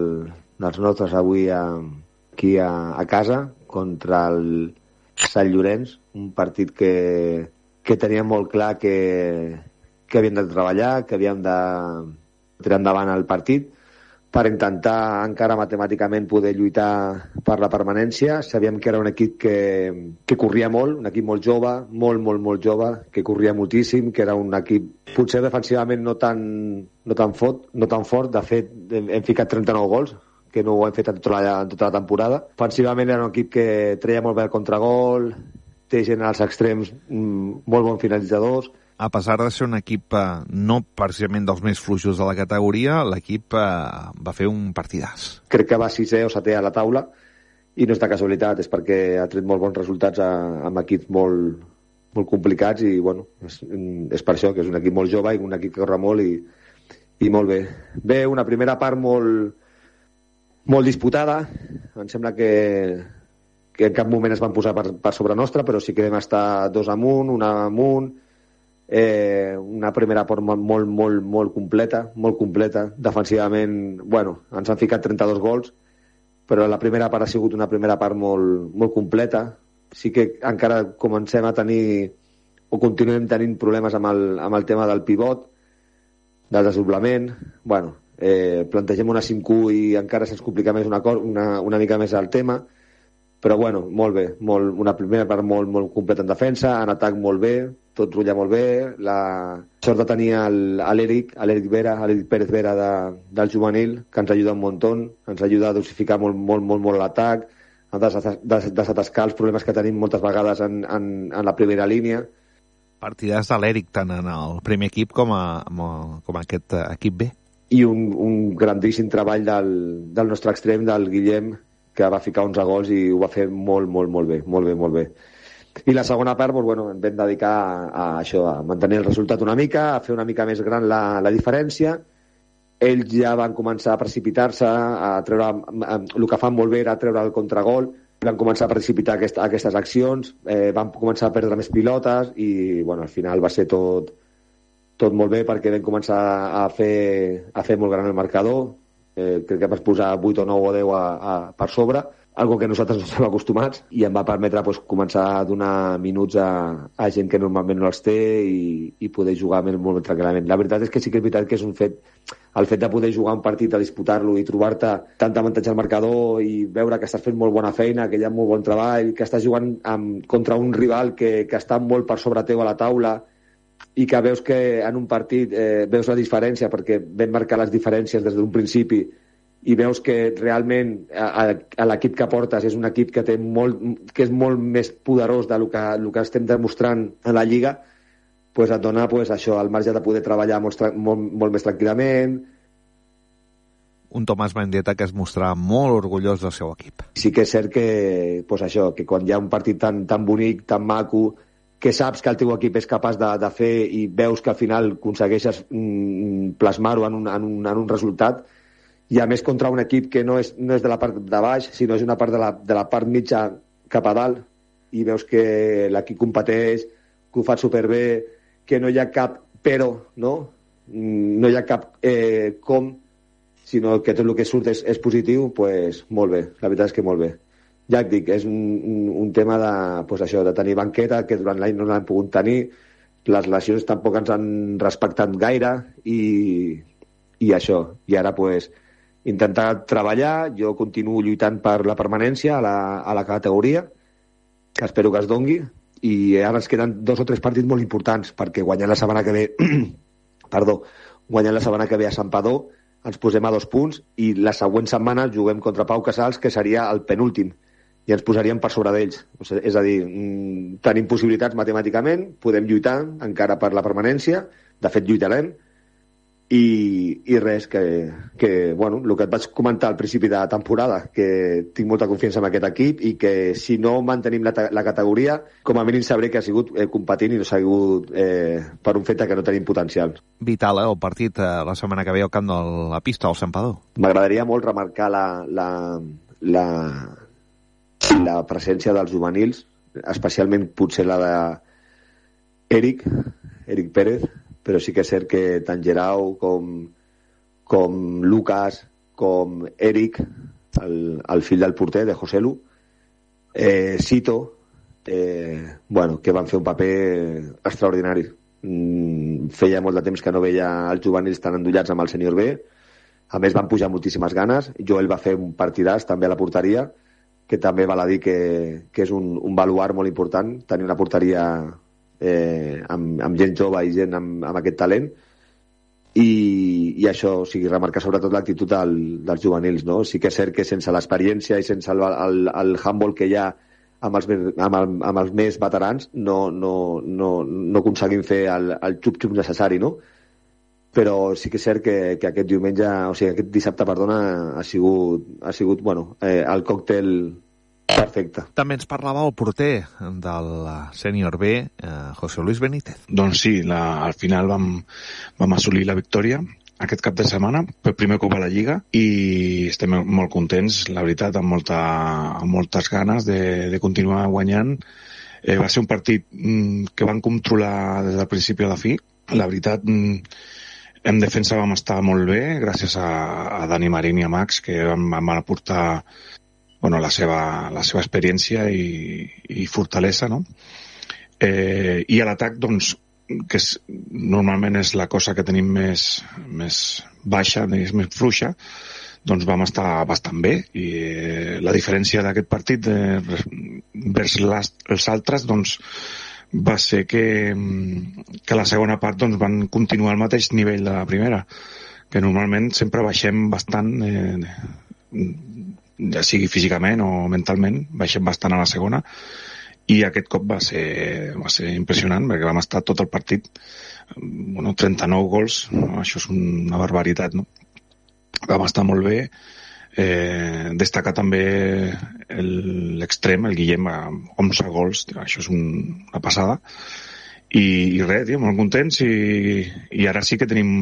dels nostres avui a, aquí a, a casa contra el Sant Llorenç, un partit que, que teníem molt clar que, que havíem de treballar, que havíem de tirar endavant el partit per intentar encara matemàticament poder lluitar per la permanència. Sabíem que era un equip que, que corria molt, un equip molt jove, molt, molt, molt jove, que corria moltíssim, que era un equip potser defensivament no tan, no tan, fort, no tan fort. De fet, hem, hem ficat trenta-nou gols, que no ho hem fet en tota, la, en tota la temporada. Ofensivament era un equip que treia molt bé el contragol, té gent als extrems, molt bons finalitzadors.
A pesar de ser un equip eh, no precisament dels més fluixos de la categoria, l'equip eh, va fer un partidàs.
Crec que va sisè o setè a la taula i no és de casualitat, és perquè ha tret molt bons resultats a, amb equips molt, molt complicats i bueno, és, és per això que és un equip molt jove i un equip que corre molt i, i molt bé. Bé, una primera part molt, molt disputada, em sembla que, que en cap moment es van posar per, per sobre nostra, però sí que vam estar dos amunt, una amunt. Eh, una primera part molt, molt, molt, molt completa, molt completa. Defensivament, bueno, ens han ficat trenta-dos gols, però la primera part ha sigut una primera part molt, molt completa. Sí que encara comencem a tenir o continuem tenint problemes amb el, amb el tema del pivot, del desdoblament. Bueno, eh, plantegem una cinc u i encara se'ns complica més una, una, una mica més el tema, però bueno, molt bé, molt, una primera part molt, molt completa en defensa, en atac molt bé, tot rutlla molt bé, la sort de tenir l'Eric, l'Eric Vera, l'Eric Pérez Vera de, del juvenil, que ens ajuda un muntó, ens ajuda a dosificar molt, molt, molt, molt l'atac, a des, des, desatascar els problemes que tenim moltes vegades en, en, en la primera línia.
Partides de l'Eric, tant en el primer equip com a, com a aquest equip B.
I un, un grandíssim treball del, del nostre extrem, del Guillem, que va ficar onze gols i ho va fer molt, molt, molt bé, molt bé, molt bé. I la segona part, doncs, bueno, ens vam dedicar a, a això, a mantenir el resultat una mica, a fer una mica més gran la, la diferència. Ells ja van començar a precipitar-se, a treure, a, el que fan molt bé era treure el contragol, van començar a precipitar aquest, aquestes accions, eh, van començar a perdre més pilotes i, bueno, al final va ser tot, tot molt bé perquè vam començar a fer, a fer molt gran el marcador. Eh, crec que vas posar vuit o nou o deu a, a, per sobre, algo que nosaltres no estem acostumats, i em va permetre pues, començar a donar minuts a, a gent que normalment no els té i, i poder jugar molt, molt tranquil·lament. La veritat és que sí que és veritat que és un fet, el fet de poder jugar un partit, a disputar-lo i trobar-te tant avantatge al marcador i veure que estàs fent molt bona feina, que hi ha molt bon treball, que estàs jugant amb, contra un rival que, que està molt per sobre teu a la taula i que veus que en un partit eh, veus la diferència perquè vam marcar les diferències des d'un principi i veus que realment a, a l'equip que portes és un equip que té molt, que és molt més poderós del que, el que estem demostrant a la Lliga, pues et dona pues, això, el marge de poder treballar molt, molt, molt més tranquil·lament.
Un Tomàs Mendieta que es mostrava molt orgullós del seu equip.
Sí que és cert que, pues, això, que quan hi ha un partit tan, tan bonic, tan maco, que saps que el teu equip és capaç de, de fer i veus que al final aconsegueixes mm, plasmar-ho en un, en, un, en un resultat, i a més contra un equip que no és, no és de la part de baix, sinó és una part de la, de la part mitja cap a dalt, i veus que l'equip competeix, que ho fa superbé, que no hi ha cap però, no? No hi ha cap eh, com, sinó que tot el que surt és, és positiu, pues molt bé, la veritat és que molt bé. Ja et dic, és un, un, un tema de, pues això, de tenir banqueta, que durant l'any no l'han pogut tenir, les lesions tampoc ens han respectat gaire, i, i això. I ara, pues, intentar treballar, jo continuo lluitant per la permanència a la, a la categoria, que espero que es dongui, i ara ens queden dos o tres partits molt importants, perquè guanyant la setmana que ve, perdó, guanyant la setmana que ve a Santpedor, ens posem a dos punts, i la següent setmana juguem contra Pau Casals, que seria el penúltim, i ens posaríem per sobre d'ells. O sigui, és a dir, mmm, tenim possibilitats matemàticament, podem lluitar encara per la permanència, de fet lluitarem, i, i res, que, que bueno, el que et vaig comentar al principi de temporada, que tinc molta confiança en aquest equip i que si no mantenim la, la categoria, com a mínim sabré que ha sigut eh, competint i no ha sigut eh, per un fet que no tenim potencial.
Vital, eh, el partit eh, la setmana que ve al camp de la pista al Santpedor.
M'agradaria molt remarcar la, la, la, la presència dels juvenils, especialment potser la de Eric, Eric Pérez, però sí que és cert que tant Gerau com, com Lucas, com Eric, el, el fill del porter, de José Lu, eh, Sito, eh, bueno, que van fer un paper extraordinari. Mm, feia molt de temps que no veia els juvenils tan endollats amb el sènior B, a més van pujar moltíssimes ganes, Joel va fer un partidàs també a la porteria, que també val a dir que, que és un, un baluart molt important, tenir una porteria eh, amb, amb gent jove i gent amb, amb aquest talent, i, i això, o sigui, remarcar sobretot l'actitud del, dels juvenils, no? Sí que és cert que sense l'experiència i sense el, el, el handball que hi ha amb els, amb, el, amb els més veterans no, no, no, no aconseguim fer el, el xup-xup necessari, no? Però sí que és cert que, que aquest diumenge, o sigui, aquest dissabte, perdona, ha sigut, ha sigut bueno, eh, el còctel perfecte.
També ens parlava el porter del sènior B, eh, José Luis Benítez.
Doncs sí, la, al final vam, vam assolir la victòria aquest cap de setmana, per primer cop a la Lliga, i estem molt contents, la veritat, amb, molta, amb moltes ganes de, de continuar guanyant. Eh, va ser un partit mm, que van controlar des del principi a la fi. La veritat, mm, en defensa vam estar molt bé, gràcies a, a Dani Marín i a Max, que vam, van aportar bueno, la, seva, la seva experiència i, i fortalesa, no? Eh, I a l'atac, doncs, que és, normalment és la cosa que tenim més, més baixa, més, més fluixa, doncs vam estar bastant bé. I eh, la diferència d'aquest partit eh, vers les, els altres, doncs, va ser que, que la segona part doncs, van continuar al mateix nivell de la primera, que normalment sempre baixem bastant, eh, ja sigui físicament o mentalment, baixem bastant a la segona, i aquest cop va ser, va ser impressionant, perquè vam estar tot el partit, bueno, trenta-nou gols, no? Això és una barbaritat, no? Vam estar molt bé. Eh, destacar també l'extrem, el Guillem, amb onze gols, això és un, una passada, i, i res, tio, molt contents, i, i ara sí que tenim,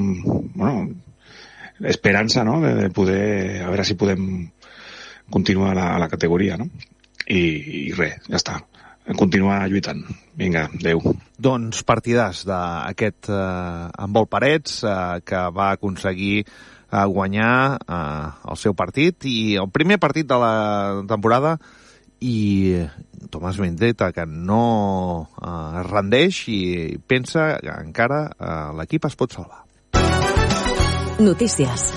bueno, esperança, no?, de, de poder, a veure si podem continuar a la, a la categoria, no?, i, i res, ja està, continuar lluitant. Vinga, adeu.
Doncs partidàs d'aquest eh, Handbol Parets, eh, que va aconseguir a guanyar eh, el seu partit, i el primer partit de la temporada, i Tomàs Mendieta, que no eh, es rendeix i pensa que encara eh, l'equip es pot salvar.
Notícies.